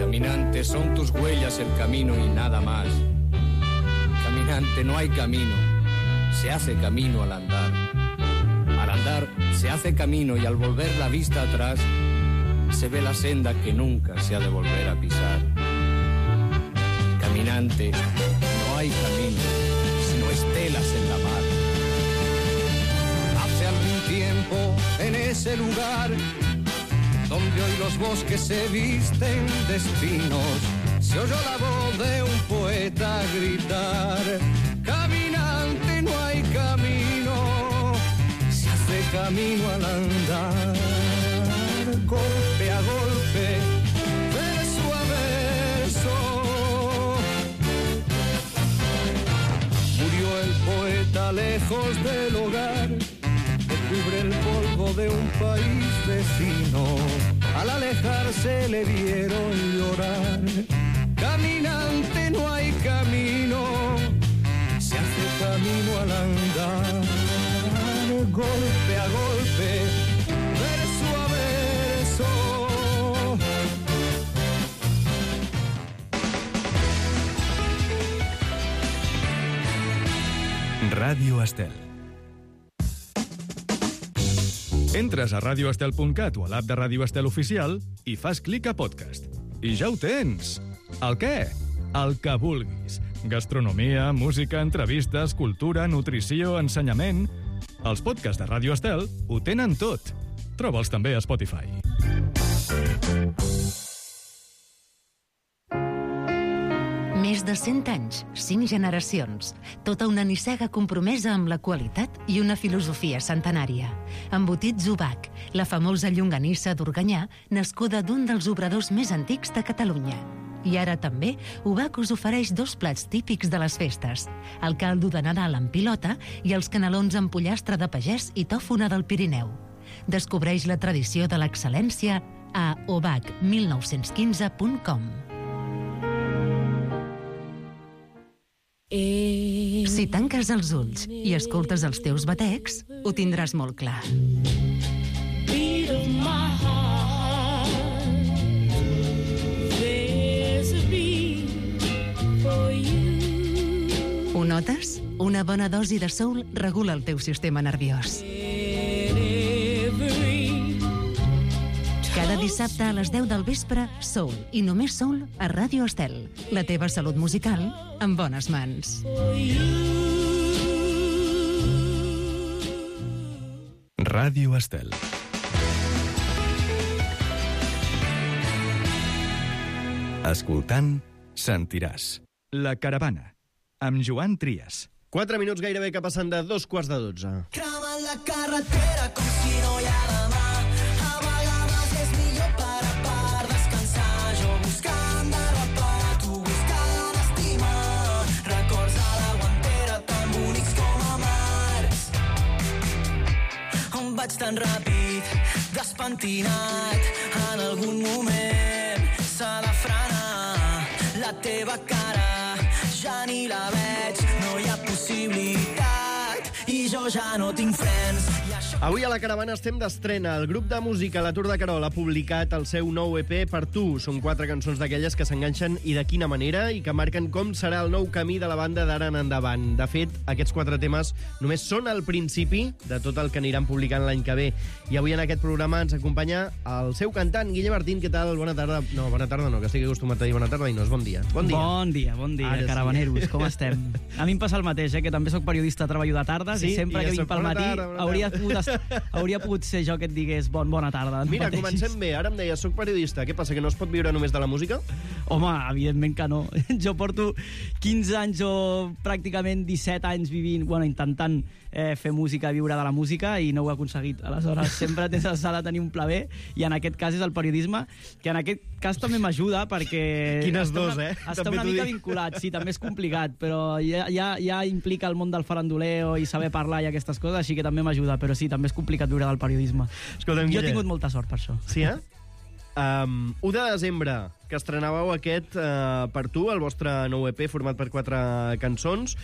Caminante, son tus huellas el camino y nada más. Caminante, no hay camino, se hace camino al andar. Al andar se hace camino y al volver la vista atrás se ve la senda que nunca se ha de volver a pisar. Caminante, no hay camino, sino estelas en la mar. Hace algún tiempo en ese lugar donde hoy los bosques se visten de espinos, se oyó la voz de un poeta gritar: caminante, no hay camino, se hace camino al andar. Golpe a golpe, verso a verso, murió el poeta lejos del hogar, cubre el polvo de un país vecino. Al alejarse le vieron llorar. Caminante, no hay camino, se hace camino al andar. Golpe a golpe, verso a verso. Ràdio Estel. Entres a radio estel punt cat o a l'app de Ràdio Estel Oficial i fas clic a podcast. I ja ho tens! El què? El que vulguis. Gastronomia, música, entrevistes, cultura, nutrició, ensenyament... Els podcasts de Ràdio Estel ho tenen tot. Troba'ls també a Spotify. Més de cent anys, cinc generacions, tota una nissaga compromesa amb la qualitat i una filosofia centenària. Embotits Ubac, la famosa llonganissa d'Organyà, nascuda d'un dels obradors més antics de Catalunya. I ara també, Ubac us ofereix dos plats típics de les festes, el caldo de Nadal amb pilota i els canelons amb pollastre de pagès i tòfona del Pirineu. Descobreix la tradició de l'excel·lència a ubac mil nou-cents quinze punt com. Si tanques els ulls i escoltes els teus batecs, ho tindràs molt clar. Ho notes? Una bona dosi de soul regula el teu sistema nerviós. Cada dissabte a les deu del vespre, soul i només soul a Ràdio Estel. La teva salut musical en bones mans. Ràdio Estel. Escoltant, sentiràs. La caravana, amb Joan Trias. Quatre minuts gairebé que passen de dos quarts de dotze. Cremant la carretera com si no hi ha demà. A vegades és millor parar per descansar. Jo buscant de reparar, tu buscant estimar. Records a la guantera tan bonics com amargs. On vaig tan ràpid, despentinat. En algun moment s'ha de frenar. La teva cara ja ni la veig, no hi ha possibilitat i jo ja no tinc frens i això Avui a la caravana estem d'estrena. El grup de música La Tour de Querol ha publicat el seu nou E P Per tu. Són quatre cançons d'aquelles que s'enganxen i de quina manera i que marquen com serà el nou camí de la banda d'ara en endavant. De fet, aquests quatre temes només són el principi de tot el que aniran publicant l'any que ve. I avui en aquest programa ens acompanya el seu cantant, Guille Martín. Què tal? Bona tarda. No, bona tarda no, que estic acostumat a dir bona tarda i no és bon dia. Bon dia. Bon dia, bon dia, Ara sí. caravaneros. Com estem? A mi em passa el mateix, eh, que també sóc periodista, treballo de tardes Sí, i sempre i ja que vinc soc pel bona matí tarda, bona hauria, tarda. pogut, hauria pogut ser jo que et digués bon, bona tarda. no Mira, pateixis. comencem bé. Ara em deies, soc periodista. Què passa, que no es pot viure només de la música? Home, evidentment que no. Jo porto quinze anys o pràcticament disset anys vivint, bueno, intentant eh, fer música, viure de la música, i no ho he aconseguit. Aleshores, sempre tens de tenir un pla B, i en aquest cas és el periodisme, que en aquest cas també m'ajuda, perquè... Quines està dos, una, eh? Està També una t'ho mica dic. vinculat, sí, també és complicat, però ja, ja, ja implica el món del faranduleo i saber parlar i aquestes coses, així que també m'ajuda, però sí, també és complicat viure del periodisme. Escolta'm, jo Guille. he tingut molta sort per això. Sí, eh? Um, u de desembre, que estrenàveu aquest uh, Per tu, el vostre nou E P format per quatre cançons.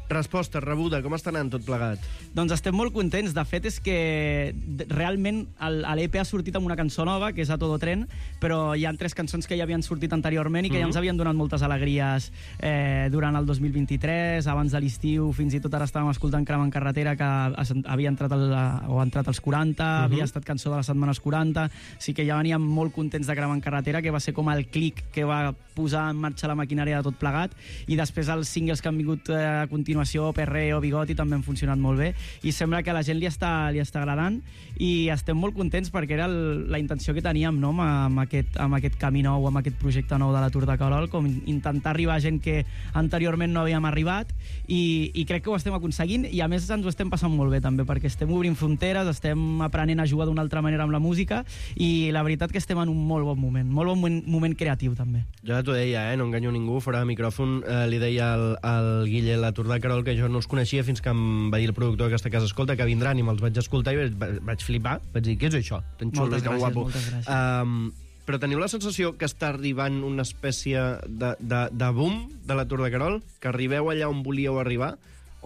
Resposta rebuda, com està anant tot plegat? Doncs estem molt contents. De fet, és que d- realment el- l'E P ha sortit amb una cançó nova, que és A Todo Tren, però hi ha tres cançons que ja havien sortit anteriorment i que Mhm. ja ens havien donat moltes alegries eh, durant el dos mil vint-i-tres, abans de l'estiu, fins i tot ara estàvem escoltant Crema en carretera, que es- havia entrat, el, o ha entrat als quaranta, Mhm. havia estat cançó de les setmanes quaranta, sí que ja veníem molt contents de Crema en carretera, que va ser com el clic que va posar en marxa la maquinària de tot plegat, i després els singles que han vingut eh, a continuació, Perreo, Bigoti, també han funcionat molt bé, i sembla que a la gent li està, li està agradant, i estem molt contents perquè era el, la intenció que teníem, no?, amb, amb, aquest, amb aquest camí nou, amb aquest projecte nou de la Tour de Querol, com intentar arribar a gent que anteriorment no havíem arribat, i, i crec que ho estem aconseguint, i a més ens ho estem passant molt bé també, perquè estem obrint fronteres, estem aprenent a jugar d'una altra manera amb la música, i la veritat que estem en un molt bon moment, molt bon moment, moment creatiu també. Jo ja t'ho deia, eh? No enganyo ningú, fora de micròfon eh, li deia al, al Guille La Tour de Querol que jo no els coneixia fins que em va dir el productor d'aquesta casa, escolta, que vindran, i me'ls vaig escoltar i vaig, vaig flipar, vaig dir, què és això? Tan xulo Moltes i tan gràcies, guapo. moltes gràcies. Um, però teniu la sensació que està arribant una espècie de, de, de boom de La Tour de Querol? Que arribeu allà on volíeu arribar?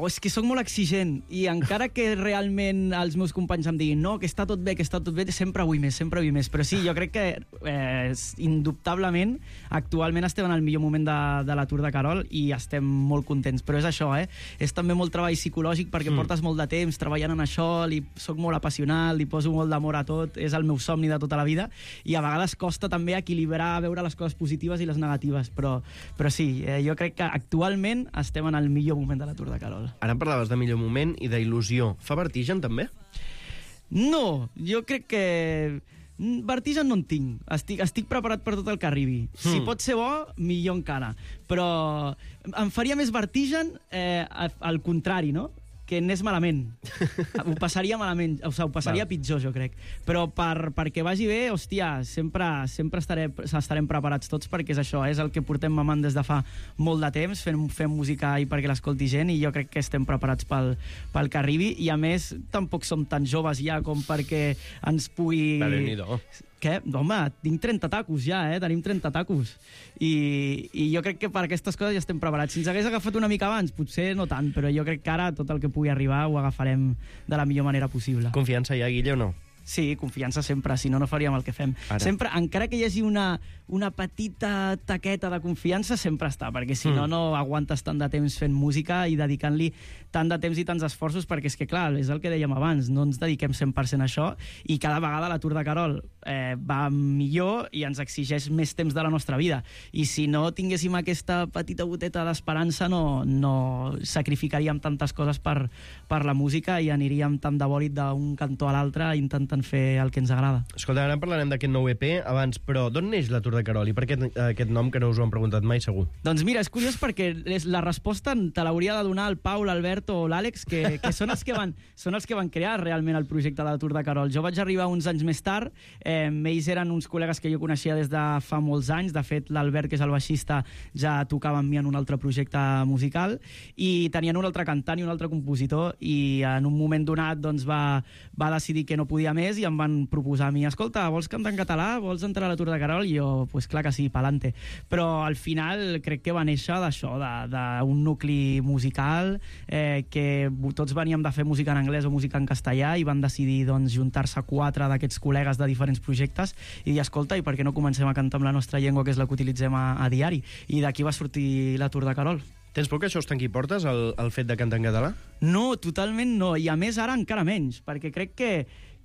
O és que sóc molt exigent, i encara que realment els meus companys em diguin no, que està tot bé, que està tot bé, sempre vull més, sempre vull més. Però sí, jo crec que eh, indubtablement actualment estem en el millor moment de, de la Tour de Querol i estem molt contents. Però és això, eh? És també molt treball psicològic perquè Mm. mm. portes molt de temps treballant en això, li, soc molt apassionat, li poso molt d'amor a tot, és el meu somni de tota la vida, i a vegades costa també equilibrar, veure les coses positives i les negatives, però, però sí, eh, jo crec que actualment estem en el millor moment de la Tour de Querol. Ara em parlaves de millor moment i d'il·lusió. Fa vertigen, també? No, jo crec que... mm, vertigen no en tinc. Estic, estic preparat per tot el que arribi. Si Mm. pot ser bo, millor encara. Però em faria més vertigen eh, al contrari, no?, que anés malament. Ho passaria malament, o sigui, ho passaria Val. pitjor, jo crec. Però per, perquè vagi bé, hòstia, sempre, sempre estaré, estarem preparats tots, perquè és això, és el que portem mamant des de fa molt de temps, fent, fent música i perquè l'escolti gent, i jo crec que estem preparats pel, pel que arribi, i a més tampoc som tan joves ja com perquè ens pugui... Va, Déu-n'hi-do. Què? Home, tinc trenta tacos ja, eh? Tenim trenta tacos. I, I jo crec que per aquestes coses ja estem preparats. Si ens hagués agafat una mica abans, potser no tant, però jo crec que ara tot el que pugui arribar ho agafarem de la millor manera possible. Confiança hi ha, Guille, o no? Sí, confiança sempre, si no, no faríem el que fem. Ara. Sempre, encara que hi hagi una, una petita taqueta de confiança, sempre està, perquè si no, Mm. no aguantes tant de temps fent música i dedicant-li tant de temps i tants esforços, perquè és que, clar, és el que dèiem abans, no ens dediquem cent per cent a això, i cada vegada la Tour de Querol eh, va millor i ens exigeix més temps de la nostra vida. I si no tinguéssim aquesta petita goteta d'esperança, no, no sacrificaríem tantes coses per, per la música i aniríem tant de bòlit d'un cantó a l'altre intentant fer el que ens agrada. Escolta, ara en parlarem d'aquest nou E P abans, però d'on neix la Tour de Querol? I per què aquest nom, que no us ho han preguntat mai, segur? Doncs mira, és curiós perquè és, la resposta te l'hauria de donar el Pau, l'Alberto o l'Àlex, que, que són, els que van, són els que van crear realment el projecte de la Tour de Querol. Jo vaig arribar uns anys més tard, eh, ells eren uns col·legues que jo coneixia des de fa molts anys, de fet l'Albert, que és el baixista, ja tocava amb mi en un altre projecte musical, i tenien un altre cantant i un altre compositor, i en un moment donat doncs, va, va decidir que no podia més més i em van proposar a mi, escolta, vols cantar en català? Vols entrar a la Tour de Carol? I jo, pues clar que sí, pa'lante. Però al final crec que va néixer d'això, d'un nucli musical, eh, que tots veníem de fer música en anglès o música en castellà i van decidir doncs, juntar-se quatre d'aquests col·legues de diferents projectes i dir, escolta, i per què no comencem a cantar amb la nostra llengua, que és la que utilitzem a, a diari? I d'aquí va sortir la Tour de Carol. Tens por que això us tanqui portes, el, el fet de cantar en català? No, totalment no, i a més ara encara menys, perquè crec que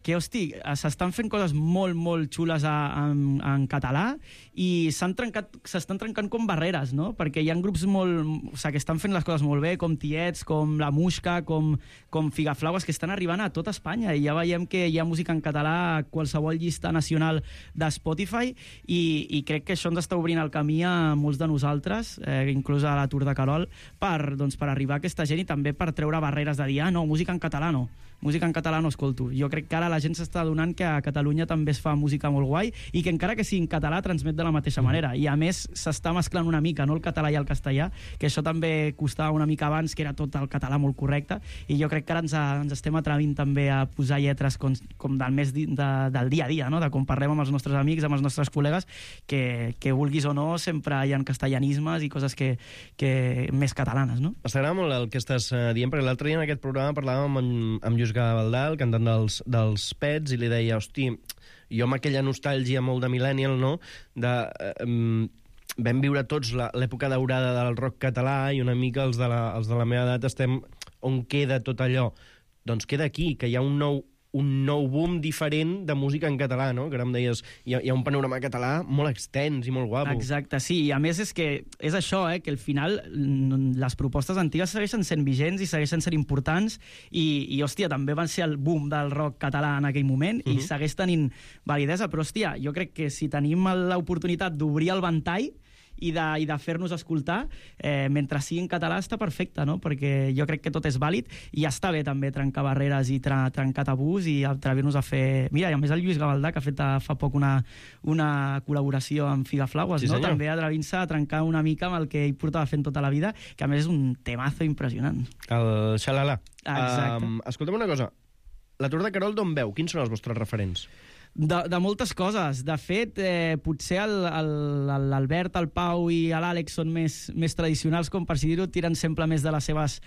que, hosti, s'estan fent coses molt, molt xules a, en, en català i s'estan trencat, trencant com barreres, no? Perquè hi ha grups molt, o sigui, que estan fent les coses molt bé, com Tiets, com La Muixca, com, com Figaflaues, que estan arribant a tota Espanya, i ja veiem que hi ha música en català a qualsevol llista nacional de Spotify, i, i crec que això ens està obrint el camí a molts de nosaltres, eh, inclús a la Tour de Carol, per, doncs, per arribar a aquesta gent i també per treure barreres de dir, ah, no, música en català no. Música en català no escolto. Jo crec que ara la gent s'està adonant que a Catalunya també es fa música molt guai i que encara que sigui en català transmet de la mateixa manera. I a més s'està mesclant una mica, no el català i el castellà, que això també costava una mica abans, que era tot el català molt correcte, i jo crec que ara ens, a, ens estem atrevint també a posar lletres com, com del, més di, de, del dia a dia, no? De com parlem amb els nostres amics, amb els nostres col·legues, que, que vulguis o no, sempre hi ha castellanismes i coses que, que més catalanes, no? M'agrada molt el que estàs dient, perquè l'altre dia en aquest programa parlàvem amb, amb Lluís Gavaldà, el cantant dels, dels Pets, i li deia, hosti, jo amb aquella nostàlgia molt de millennial, no?, de... Eh, vam viure tots l'època daurada del rock català i una mica els de, la, els de la meva edat estem... On queda tot allò? Doncs queda aquí, que hi ha un nou un nou boom diferent de música en català, no? Que ara em deies, hi ha, hi ha un panorama català molt extens i molt guapo. Exacte, sí, i a més és que és això, eh, que al final les propostes antigues segueixen sent vigents i segueixen sent importants i, i hòstia, també van ser el boom del rock català en aquell moment uh-huh. i segueix tenint validesa, però hòstia, jo crec que si tenim l'oportunitat d'obrir el ventall i de, i de fer-nos escoltar, eh, mentre sigui en català està perfecte, no? Perquè jo crec que tot és vàlid i està bé també trencar barreres i tra trencar tabús i atrevir-nos a fer... Mira, i a més el Lluís Gavaldà, que ha fet fa poc una, una col·laboració amb Figaflaues, sí, no? També atrevint-se a trencar una mica amb el que ell portava fent tota la vida, que a més és un temazo impressionant. El Xalala. Exacte. Um, escolta'm una cosa, la Tour de Carol d'on veu? Quins són els vostres referents? De, de moltes coses. De fet, eh, potser l'Albert, el, el Pau i l'Àlex són més, més tradicionals, com per si dir-ho, tiren sempre més de les seves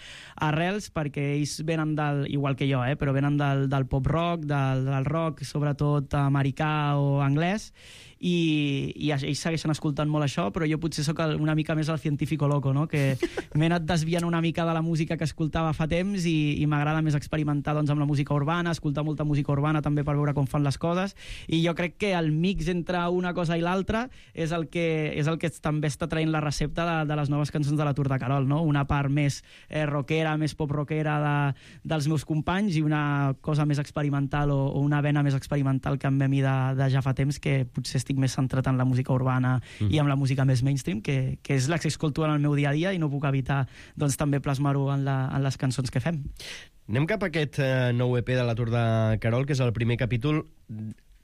arrels, perquè ells venen del, igual que jo, eh, però venen del, del pop-rock, del, del rock, sobretot americà o anglès, i, i ells segueixen escoltant molt això, però jo potser sóc una mica més el científico loco, no? Que m'he anat desviant una mica de la música que escoltava fa temps i, i m'agrada més experimentar doncs, amb la música urbana, escoltar molta música urbana també per veure com fan les coses, i jo crec que el mix entre una cosa i l'altra és, el que, és el que també està traient la recepta de, de les noves cançons de la Tour de Carol, no? Una part més eh, rockera, més pop-rockera de, dels meus companys i una cosa més experimental o, o una vena més experimental que em ve a mi de, de ja fa temps, que potser estic més centrat en la música urbana mm. i en la música més mainstream, que, que és la que escolto en el meu dia a dia i no puc evitar doncs, també plasmar-ho en, la, en les cançons que fem. Anem cap a aquest eh, nou E P de la Tour de Carol, que és el primer capítol,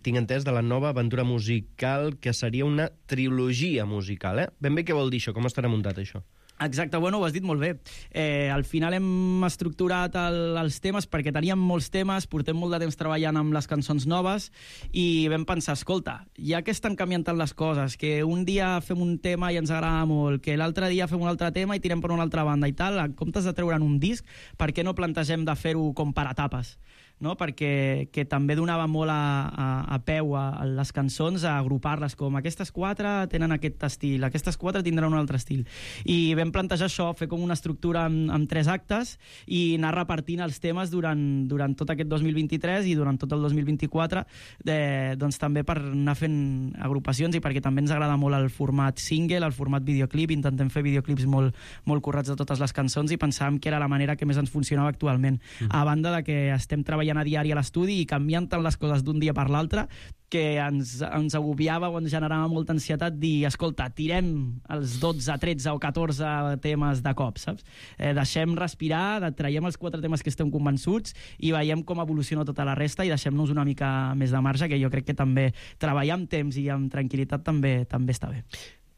tinc entès, de la nova aventura musical, que seria una trilogia musical, eh? Ben bé què vol dir això? Com estarà muntat això? Exacte, bueno, ho has dit molt bé. Eh, al final hem estructurat el, els temes perquè teníem molts temes, portem molt de temps treballant amb les cançons noves i vam pensar, escolta, ja que estan canviant tant les coses, que un dia fem un tema i ens agrada molt, que l'altre dia fem un altre tema i tirem per una altra banda i tal, en comptes de treure'n un disc, per què no plantegem de fer-ho com per etapes? No? Perquè que també donava molt a, a, a peu a, a les cançons, a agrupar-les com aquestes quatre tenen aquest estil, aquestes quatre tindran un altre estil. I vam plantejar això, fer com una estructura amb, amb tres actes i anar repartint els temes durant, durant tot aquest dos mil vint-i-tres i durant tot el dos mil vint-i-quatre, de, doncs també per anar fent agrupacions i perquè també ens agrada molt el format single, el format videoclip, intentem fer videoclips molt, molt currats de totes les cançons i pensàvem que era la manera que més ens funcionava actualment. Mm. A banda de que estem treballant a diari a l'estudi i canviant tant les coses d'un dia per l'altre que ens, ens agobiava o ens generava molta ansietat dir, escolta, tirem els dotze, tretze o catorze temes de cop, saps? Eh, deixem respirar, traiem els quatre temes que estem convençuts i veiem com evoluciona tota la resta i deixem-nos una mica més de marge, que jo crec que també treballar amb temps i amb tranquil·litat també també està bé.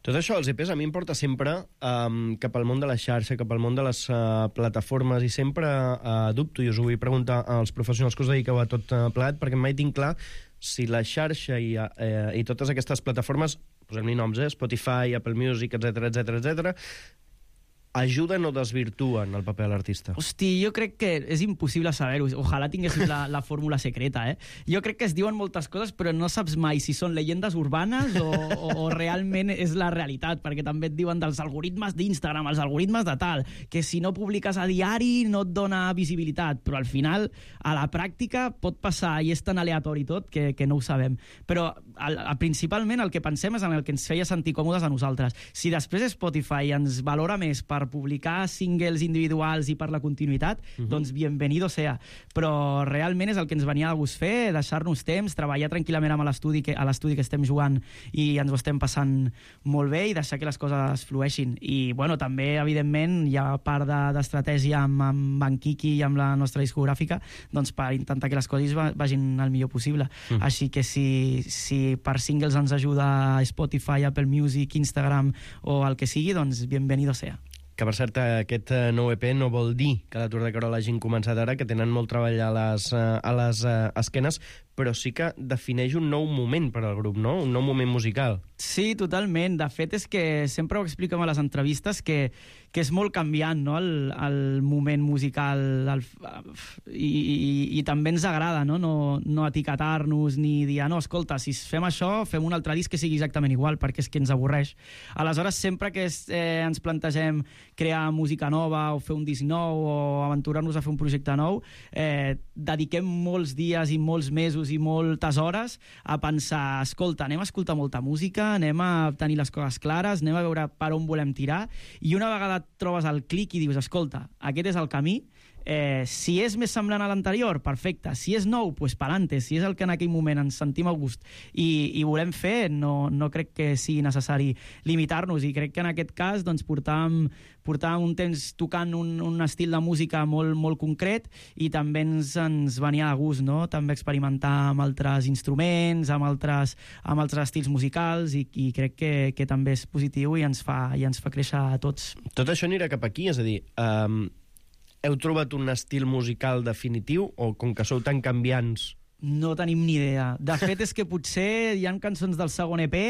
Tot això, els E Pes, a mi em porta sempre um, cap al món de la xarxa, cap al món de les uh, plataformes, i sempre uh, dubto, i us ho vull preguntar als professionals que us dediqueu a tot uh, plegat, perquè mai tinc clar si la xarxa i, uh, i totes aquestes plataformes, posem-li noms, eh, Spotify, Apple Music, etcètera, etcètera, etcètera, ajuden o desvirtuen el paper de l'artista? Hosti, jo crec que és impossible saber-ho. Ojalà tinguéssim la, la fórmula secreta, eh? Jo crec que es diuen moltes coses, però no saps mai si són llegendes urbanes o, o, o realment és la realitat, perquè també et diuen dels algoritmes d'Instagram, els algoritmes de tal, que si no publiques a diari no et dona visibilitat, però al final, a la pràctica, pot passar i és tan aleatori tot que, que no ho sabem. Però al, a, principalment el que pensem és en el que ens feia sentir còmodes a nosaltres. Si després Spotify ens valora més per publicar singles individuals i per la continuïtat, uh-huh. doncs bienvenido sea. Però realment és el que ens venia de gust fer, deixar-nos temps, treballar tranquil·lament amb l'estudi que, a l'estudi que estem jugant i ens ho estem passant molt bé i deixar que les coses flueixin. I, bueno, també, evidentment, hi ha part d'estratègia amb, amb en Kiki i amb la nostra discogràfica, doncs per intentar que les coses vagin el millor possible. Uh-huh. Així que si, si per singles ens ajuda Spotify, Apple Music, Instagram o el que sigui, doncs bienvenido sea. Que, per cert, aquest nou E P no vol dir que l'Atur de Carol hagin començat ara, que tenen molt treball a les, a les esquenes, però sí que defineix un nou moment per al grup, no? Un nou moment musical. Sí, totalment. De fet, és que sempre ho expliquem a les entrevistes que, que és molt canviant, no?, el, el moment musical. El, i, i, I també ens agrada, no?, no, no etiquetar-nos ni dir, ah, no, escolta, si fem això, fem un altre disc que sigui exactament igual, perquè és que ens avorreix. Aleshores, sempre que es, eh, ens plantegem crear música nova o fer un disc nou o aventurar-nos a fer un projecte nou, eh, dediquem molts dies i molts mesos i moltes hores a pensar, escolta, anem a escoltar molta música, anem a tenir les coses clares, anem a veure per on volem tirar, i una vegada trobes el clic i dius, escolta, aquest és el camí, Eh, si és més semblant a l'anterior, perfecte. Si és nou, doncs pa'lante. Si és el que en aquell moment ens sentim a gust i, i volem fer, no, no crec que sigui necessari limitar-nos. I crec que en aquest cas doncs, portàvem, portàvem un temps tocant un, un estil de música molt, molt concret i també ens, ens venia de gust, no?, també experimentar amb altres instruments, amb altres, amb altres estils musicals, i, i crec que, que també és positiu i ens fa, i ens fa créixer a tots. Tot això anirà cap aquí, és a dir... Um... Heu trobat un estil musical definitiu o com que sou tan canviants? No tenim ni idea. De fet, és que potser hi ha cançons del segon E P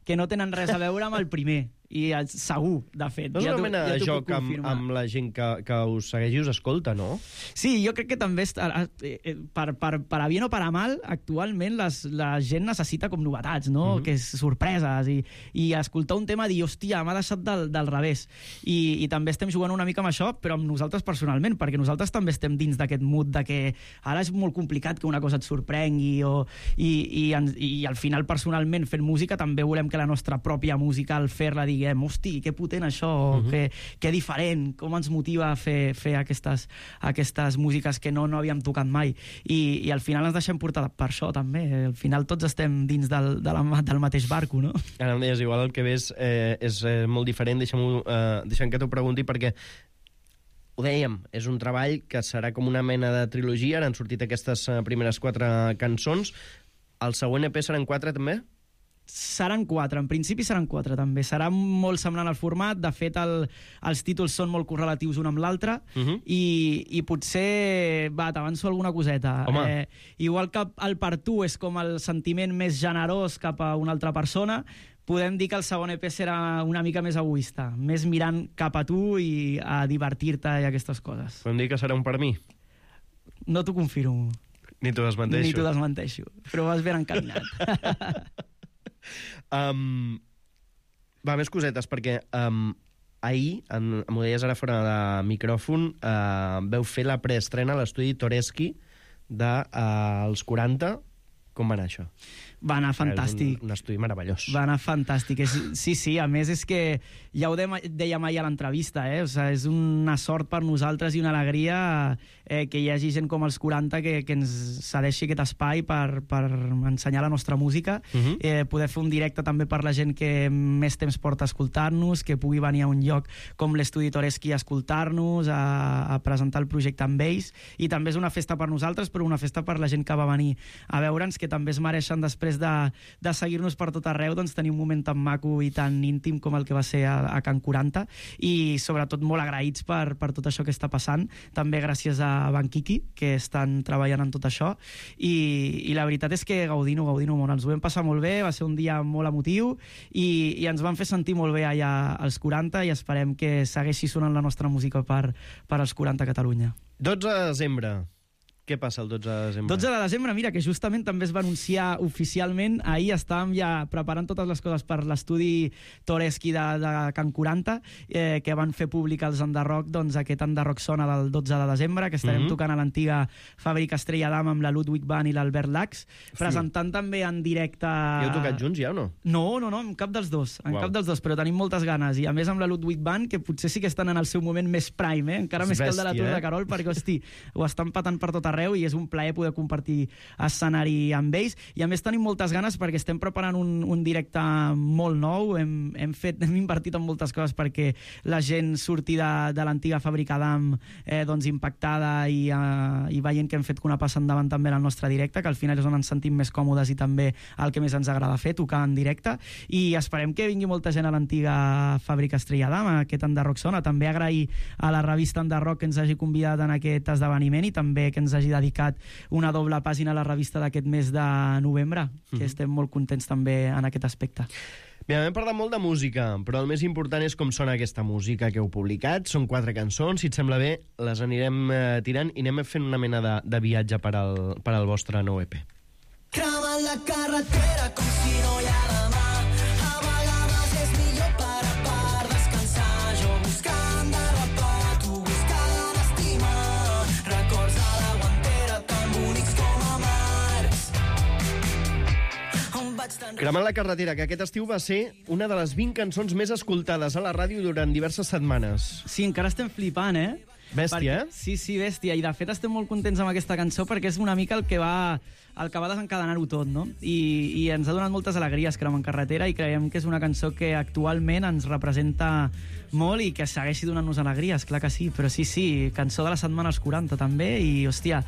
que no tenen res a veure amb el primer. I segur, de fet. No és una mena de joc amb, amb la gent que, que us segueix i us escolta, no? Sí, jo crec que també, està, per, per, per a bien o per a mal, actualment les, la gent necessita com novetats, no? Mm-hmm. Que és sorpreses, i, i escoltar un tema i dir, hòstia, m'ha deixat del, del revés. I, I també estem jugant una mica amb això, però amb nosaltres personalment, perquè nosaltres també estem dins d'aquest mood de que ara és molt complicat que una cosa et sorprengui, o, i, i, i, i al final, personalment, fent música, també volem que la nostra pròpia música, al fer-la, diguem, hosti, que potent això, uh-huh. que, que diferent, com ens motiva a fer, fer aquestes, aquestes músiques que no, no havíem tocat mai. I, i al final ens deixem portar per això, també. Al final tots estem dins del, de la, del mateix barco, no? Ara em deies, igual el que ves eh, és eh, molt diferent, deixa'm, eh, deixa'm que t'ho pregunti, perquè ho dèiem, és un treball que serà com una mena de trilogia, ara han sortit aquestes eh, primeres quatre cançons, el següent E P seran quatre també? Seran quatre, en principi seran quatre també. Serà molt semblant al format, de fet el, els títols són molt correlatius un amb l'altre, uh-huh. i, i potser, va, t'avanço alguna coseta. Eh, igual que el per tu és com el sentiment més generós cap a una altra persona, podem dir que el segon E P serà una mica més egoista, més mirant cap a tu i a divertir-te i aquestes coses. Podem dir que serà un per mi? No t'ho confirmo. Ni t'ho desmenteixo. Ni t'ho desmenteixo, però vas ben encaminat. Um, va, més cosetes, perquè um, ahir, en, m'ho deies ara fora de micròfon, uh, veu fer la preestrena a l'estudi Toreski dels de, uh, quaranta. Com va anar això? Va anar fantàstic. Un, un estudi meravellós. Va anar fantàstic. És, sí, sí, a més és que ja ho deia mai a l'entrevista, eh? O sigui, és una sort per nosaltres i una alegria eh, que hi hagi gent com els quaranta que, que ens cedeixi aquest espai per, per ensenyar la nostra música, uh-huh. eh, poder fer un directe també per la gent que més temps porta a escoltar-nos, que pugui venir a un lloc com l'estudi Toreski a escoltar-nos, a, a presentar el projecte amb ells, i també és una festa per nosaltres, però una festa per la gent que va venir a veure'ns, que també es mereixen després després de, de seguir-nos per tot arreu, doncs tenir un moment tan maco i tan íntim com el que va ser a, a Can quaranta, i sobretot molt agraïts per, per tot això que està passant, també gràcies a Banquiqui, que estan treballant en tot això, i, i la veritat és que gaudint-ho, gaudint-ho molt, ens ho vam passar molt bé, va ser un dia molt emotiu, i, i ens van fer sentir molt bé allà als quaranta, i esperem que segueixi sonant la nostra música per, per als quaranta a Catalunya. dotze de desembre. Què passa el dotze de desembre? dotze de desembre, mira, que justament també es va anunciar oficialment. Ahir estàvem ja preparant totes les coses per l'estudi Toreski de, de Can quaranta, eh, que van fer públic els Enderroc, doncs aquest Enderroc Sona del dotze de desembre, que estarem Mhm. tocant a l'antiga fàbrica Estrella d'Am amb la Ludwig Band i l'Albert Lax, presentant també en directe... I heu tocat junts ja o no? No, no, no, en cap dels dos, en Uau. cap dels dos, però tenim moltes ganes, i a més amb la Ludwig Band, que potser sí que estan en el seu moment més prime, eh? encara És més que el de la bèstia, Tour eh? de Carol, perquè, hosti, ho estan patant per tot arreu i és un plaer poder compartir escenari amb ells, i a més tenim moltes ganes perquè estem preparant un, un directe molt nou, hem, hem, fet, hem invertit en moltes coses perquè la gent surti de, de l'antiga fàbrica d'Am eh, doncs impactada i, uh, i veient que hem fet una passa endavant també en el nostre directe, que al final és on ens sentim més còmodes i també el que més ens agrada fer, tocar en directe, i esperem que vingui molta gent a l'antiga fàbrica Estrella d'Am, a aquest Enderroc Sona. També agrair a la revista Enderroc que ens hagi convidat en aquest esdeveniment i també que ens hagi dedicat una doble pàgina a la revista d'aquest mes de novembre, que Mhm. estem molt contents també en aquest aspecte. Mira, hem parlat molt de música, però el més important és com sona aquesta música que heu publicat. Són quatre cançons, si et sembla bé, les anirem eh, tirant i anem fent una mena de, de viatge per al, per al vostre nou E P. Cremant la carretera com si no hi ha demà. A vegades és millor parar per descansar. Jo buscant derrapar, tu buscant estimar. Records a la guantera tan bonics com amargs. On vaig tan... Cremant la carretera, que aquest estiu va ser una de les vint cançons més escoltades a la ràdio durant diverses setmanes. Sí, encara estem flipant, eh? Bèstia, eh? Sí, sí, bèstia. I de fet estem molt contents amb aquesta cançó perquè és una mica el que va el que va desencadenar-ho tot, no? I, I ens ha donat moltes alegries Cremant carretera i creiem que és una cançó que actualment ens representa molt i que segueixi donant-nos alegries, clar que sí, però sí, sí, cançó de la setmana als quaranta també, i hòstia,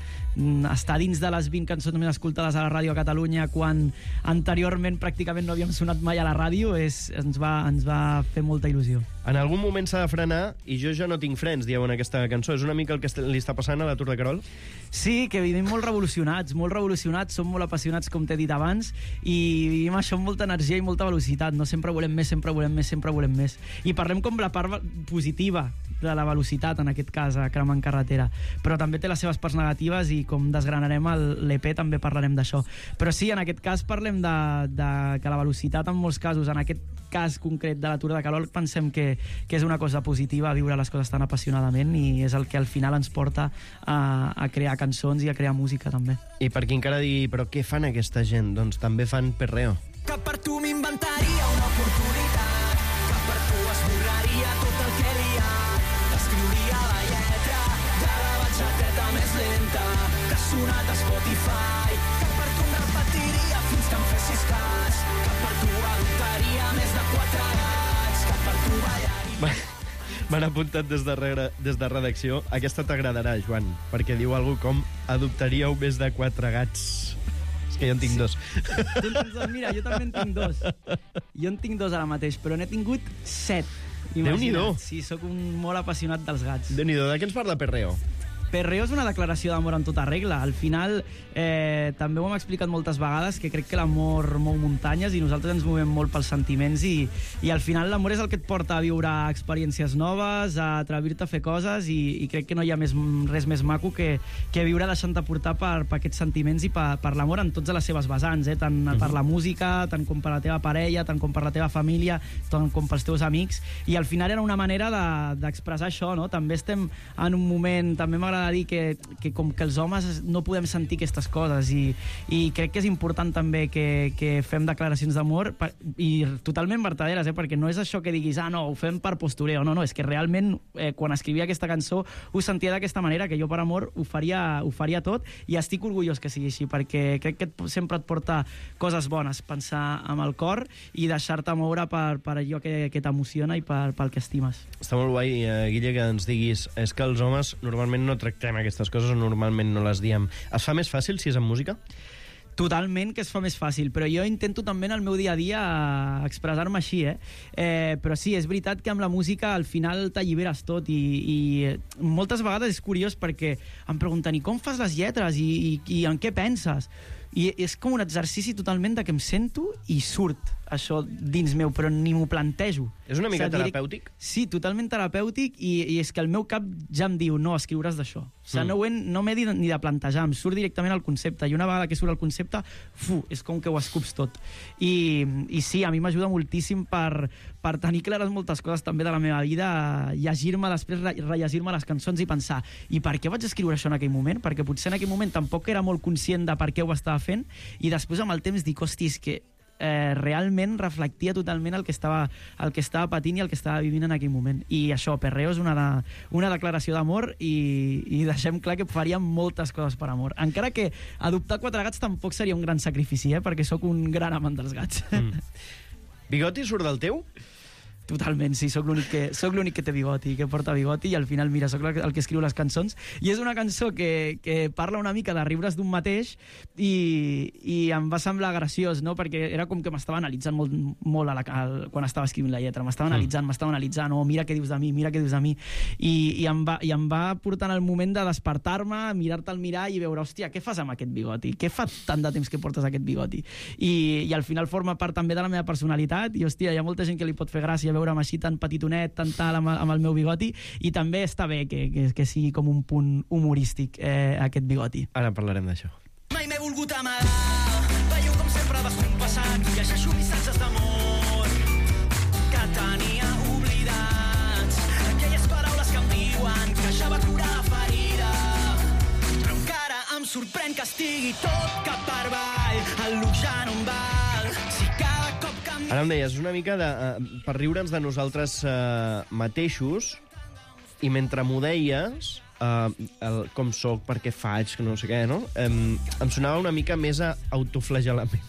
estar dins de les vint cançons més escoltades a la ràdio a Catalunya quan anteriorment pràcticament no havíem sonat mai a la ràdio és, ens, va, ens va fer molta il·lusió. En algun moment s'ha de frenar i jo ja no tinc frens, dieu en aquesta cançó. És una mica el que li està passant a la Tour de Carol? Sí, que vivim molt revolucionats, molt revolucionats, som molt apassionats, com t'he dit abans, i vivim això amb molta energia i molta velocitat. No sempre volem més, sempre volem més, sempre volem més. I parlem com la part positiva de la velocitat, en aquest cas, a Cremant carretera. Però també té les seves parts negatives i com desgranarem l'E P també parlarem d'això. Però sí, en aquest cas parlem de, de que la velocitat en molts casos, en aquest cas concret de la Tour de Carol, pensem que, que és una cosa positiva viure les coses tan apassionadament i és el que al final ens porta a, a crear cançons i a crear música també. I per qui encara digui, però què fan aquesta gent? Doncs també fan perreo. Que per tu m'inventaria una oportunitat, que per tu esborraria tot el que he liat, t'escriuria la lletra de la batxateta més lenta que ha sonat a Spotify, que per tu em repetiria fins que em fessis cas, que per tu adoptaria més de quatre gats, que per tu ballaria... M'han apuntat des de, regre, des de redacció. Aquesta t'agradarà, Joan, perquè diu alguna com adoptaríeu més de quatre gats. És que jo en tinc dos. Tu en tens dos? Mira, jo també en tinc dos. Jo en tinc dos ara mateix, però n'he tingut set. Déu-n'hi-do. Sí, sóc un molt apassionat dels gats. Déu-n'hi-do, de què ens parla Perreo? Perreo és una declaració d'amor en tota regla. Al final, eh, també ho hem explicat moltes vegades, que crec que l'amor mou muntanyes i nosaltres ens movem molt pels sentiments i, i al final l'amor és el que et porta a viure experiències noves, a atrevir-te a fer coses i, i crec que no hi ha més, res més maco que, que viure deixant-te portar per, per aquests sentiments i per, per l'amor en totes les seves vessants, eh? Tant uh -huh. per la música, tant com per la teva parella, tant com per la teva família, tant com pels teus amics, i al final era una manera d'expressar de, això, no? També estem en un moment, també m'agrada a dir que, que com que els homes no podem sentir aquestes coses i, i crec que és important també que, que fem declaracions d'amor i totalment vertaderes, eh? Perquè no és això que diguis, ah, no, ho fem per postureo, no, no, és que realment eh, quan escrivia aquesta cançó ho sentia d'aquesta manera, que jo per amor ho faria, ho faria tot i estic orgullós que sigui així, perquè crec que sempre et porta coses bones, pensar amb el cor i deixar-te moure per, per allò que, que t'emociona i per, pel que estimes. Està molt guai, eh, Guille, que ens diguis és que els homes normalment no tractem aquestes coses o normalment no les diem. Es fa més fàcil si és en música? Totalment, que es fa més fàcil, però jo intento també en el meu dia a dia expressar-me així, eh? eh? Però sí, és veritat que amb la música al final t'alliberes tot i, i moltes vegades és curiós perquè em pregunten i com fas les lletres i, i, i en què penses? I és com un exercici totalment de que em sento i surt això dins meu, però ni m'ho plantejo. És una mica o sigui, terapèutic? Sí, totalment terapèutic i, i és que el meu cap ja em diu no, escriuràs d'això. O sigui, mm. no, ho he, no m'he dit ni de plantejar, em surt directament el concepte i una vegada que surt el concepte, fu, és com que ho escups tot. I, i sí, a mi m'ajuda moltíssim per, per tenir clares moltes coses també de la meva vida, llegir-me després, rellegir-me les cançons i pensar i per què vaig escriure això en aquell moment? Perquè potser en aquell moment tampoc era molt conscient de per què ho estava fent i després amb el temps dic, hosti, és que eh, realment reflectia totalment el que, estava, el que estava patint i el que estava vivint en aquell moment. I això, Perreo és una, de, una declaració d'amor i, i deixem clar que faríem moltes coses per amor. Encara que adoptar quatre gats tampoc seria un gran sacrifici, eh? Perquè sóc un gran amant dels gats. Mm. Bigoti surt del teu? Totalment, sí, sóc l'únic que, sóc l'únic que té bigoti, que porta bigoti, i al final, mira, sóc el que escriu les cançons. I és una cançó que, que parla una mica de riure's d'un mateix i, i em va semblar graciós, no? Perquè era com que m'estava analitzant molt, molt a la, a, quan estava escrivint la lletra. M'estava analitzant, mm. m'estava analitzant, oh, mira què dius de mi, mira què dius de mi. I, i, em, va, i em va portar el moment de despertar-me, mirar-te al mirall i veure, hòstia, què fas amb aquest bigoti? Què fa tant de temps que portes aquest bigoti? I, i al final forma part també de la meva personalitat i, hòstia, hi ha molta gent que li pot fer gràcia veure'm així tan petitonet, tan tal, amb, amb el meu bigoti, i també està bé que, que, que sigui com un punt humorístic eh, aquest bigoti. Ara parlarem d'això. Mai m'he volgut amagar, veieu com sempre vas compassant i llegeixo missatges d'amor que tenia oblidats, aquelles paraules que em diuen que ja va curar la ferida, però encara em sorprèn que estigui tot cap per avall, el look ja no em val, si cada cop que Ara em deies, una mica de, uh, per riure'ns de nosaltres uh, mateixos, i mentre m'ho deies, uh, el, com soc, per què faig, que no sé què, no? Um, em sonava una mica més a autoflagel·lament.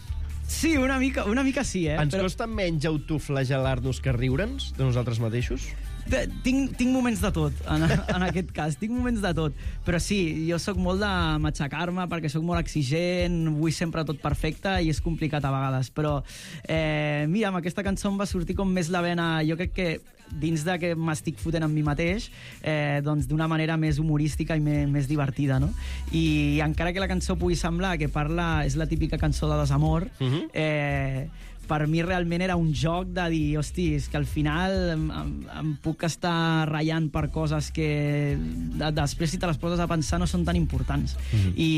Sí, una mica, una mica sí, eh? Ens Però... costa menys autoflagel·lar-nos que riure'ns de nosaltres mateixos? Tinc, tinc moments de tot, en, en aquest cas, tinc moments de tot, però sí, jo sóc molt de matxacar-me perquè sóc molt exigent, vull sempre tot perfecte i és complicat a vegades, però eh, mira, amb aquesta cançó em va sortir com més la vena, jo crec que dins de que m'estic fotent amb mi mateix, eh, doncs d'una manera més humorística i més, més divertida, no? I, I encara que la cançó pugui semblar que parla, és la típica cançó de desamor, uh-huh. eh, per mi realment era un joc de dir, hosti, és que al final em, em, em puc estar ratllant per coses que de, després si te les poses a pensar no són tan importants. Mm-hmm. I,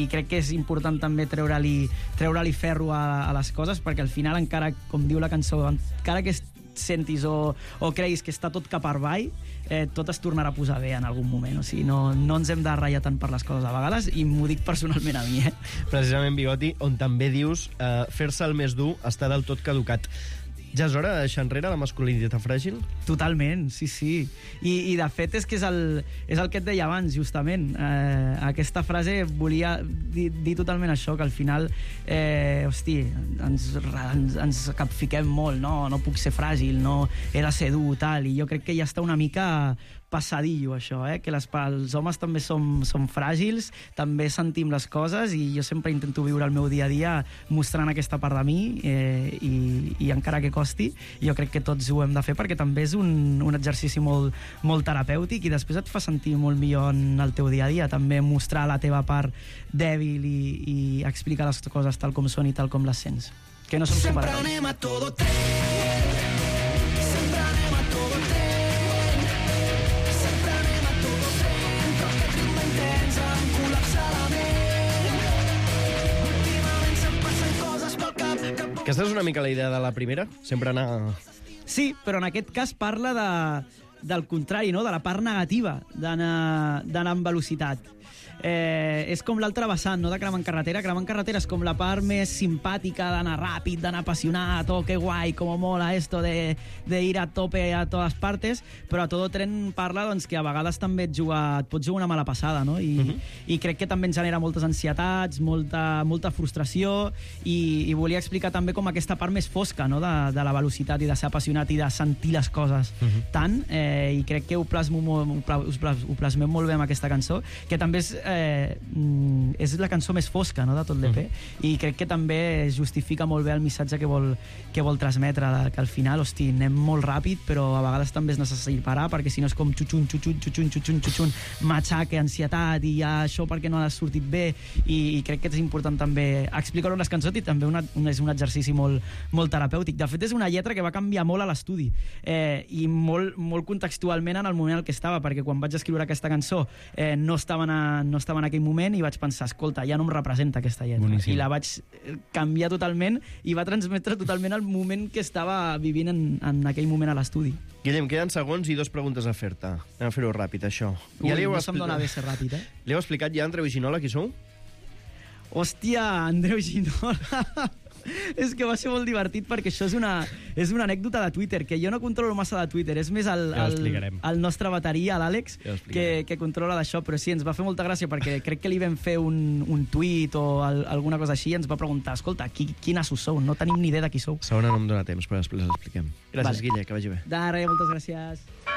i crec que és important també treure-li treure-li ferro a, a les coses, perquè al final encara, com diu la cançó, encara que sentis o, o creguis que està tot cap per avall, eh, tot es tornarà a posar bé en algun moment. O sigui, no, no ens hem de ratllar tant per les coses a vegades, i m'ho dic personalment a mi, eh? Precisament, Bigoti, on també dius eh, fer-se el més dur està del tot caducat. Ja és hora de deixar enrere la masculinitat fràgil? Totalment, sí, sí. I, i de fet és que és el, és el que et deia abans, justament. Eh, aquesta frase volia dir, dir totalment això, que al final, eh, hosti, ens, ens, ens capfiquem molt, no? No puc ser fràgil, no he de ser dur, tal, i jo crec que ja està una mica passadillo, això, eh? Que les, els homes també som, som fràgils, també sentim les coses, i jo sempre intento viure el meu dia a dia mostrant aquesta part de mi, eh, i, i encara que costi, jo crec que tots ho hem de fer, perquè també és un, un exercici molt, molt terapèutic, i després et fa sentir molt millor en el teu dia a dia, també mostrar la teva part dèbil i, i explicar les coses tal com són i tal com les sents. Que no som sempre superherois. anem a todo tren, sempre anem a todo tren, sempre anem a todo tren, però aquest ritme intens em col·lapsa la ment, últimament se'm passen coses pel cap que... Aquesta és una mica la idea de la primera? Sempre anar... Sí, però en aquest cas parla de, del contrari, no? De la part negativa d'anar d'anar amb velocitat. Eh, és com l'altre vessant, no? De cremar en carretera. Cremar en carretera és com la part més simpàtica d'anar ràpid, d'anar apassionat, oh, que guai, com mola esto de, de ir a tope a totes partes, però a todo tren parla, doncs, que a vegades també et, juga, et pots jugar una mala passada, no? I, uh-huh. i crec que també ens genera moltes ansietats, molta, molta frustració, i, i volia explicar també com aquesta part més fosca, no? de, de la velocitat i de ser apassionat i de sentir les coses uh-huh. tant, eh, i crec que ho, plasmo, ho, plas, ho plasmem molt bé amb aquesta cançó, que també és eh, és la cançó més fosca, no?, de tot l'E P, mm. i crec que també justifica molt bé el missatge que vol, que vol transmetre, que al final, hosti, anem molt ràpid, però a vegades també és necessari parar, perquè si no és com xuxun, xuxun, xuxun, xuxun, xuxun, matxaca, ansietat, i ja això perquè no ha sortit bé, i, i crec que és important també explicar-ho en les cançons, i també una, un, és un exercici molt, molt terapèutic. De fet, és una lletra que va canviar molt a l'estudi, eh, i molt, molt contextualment en el moment en què estava, perquè quan vaig escriure aquesta cançó eh, no, estava en, no estava en aquell moment, i vaig pensar, escolta, ja no em representa aquesta lletra. Boníssim. I la vaig canviar totalment i va transmetre totalment el moment que estava vivint en, en aquell moment a l'estudi. Guillem, queden segons i dos preguntes a fer-te. Anem a fer-ho ràpid, això. Ui, ja no se'm dona bé ser ràpid, eh? Li heu explicat ja a Andreu i Ginola qui sou? Hòstia, Andreu Ginola... És que va ser molt divertit, perquè això és una, és una anècdota de Twitter, que jo no controlo massa de Twitter, és més el, ja el, el nostre bateria, l'Àlex, ja que, que controla d'això, però sí, ens va fer molta gràcia, perquè crec que li vam fer un, un tuit o el, alguna cosa així, i ens va preguntar, escolta, qui, quin assos sou? No tenim ni idea de qui sou. Segona no em dóna temps, però després l'expliquem. Gràcies, vale. Guille, que vagi bé. De res, moltes gràcies.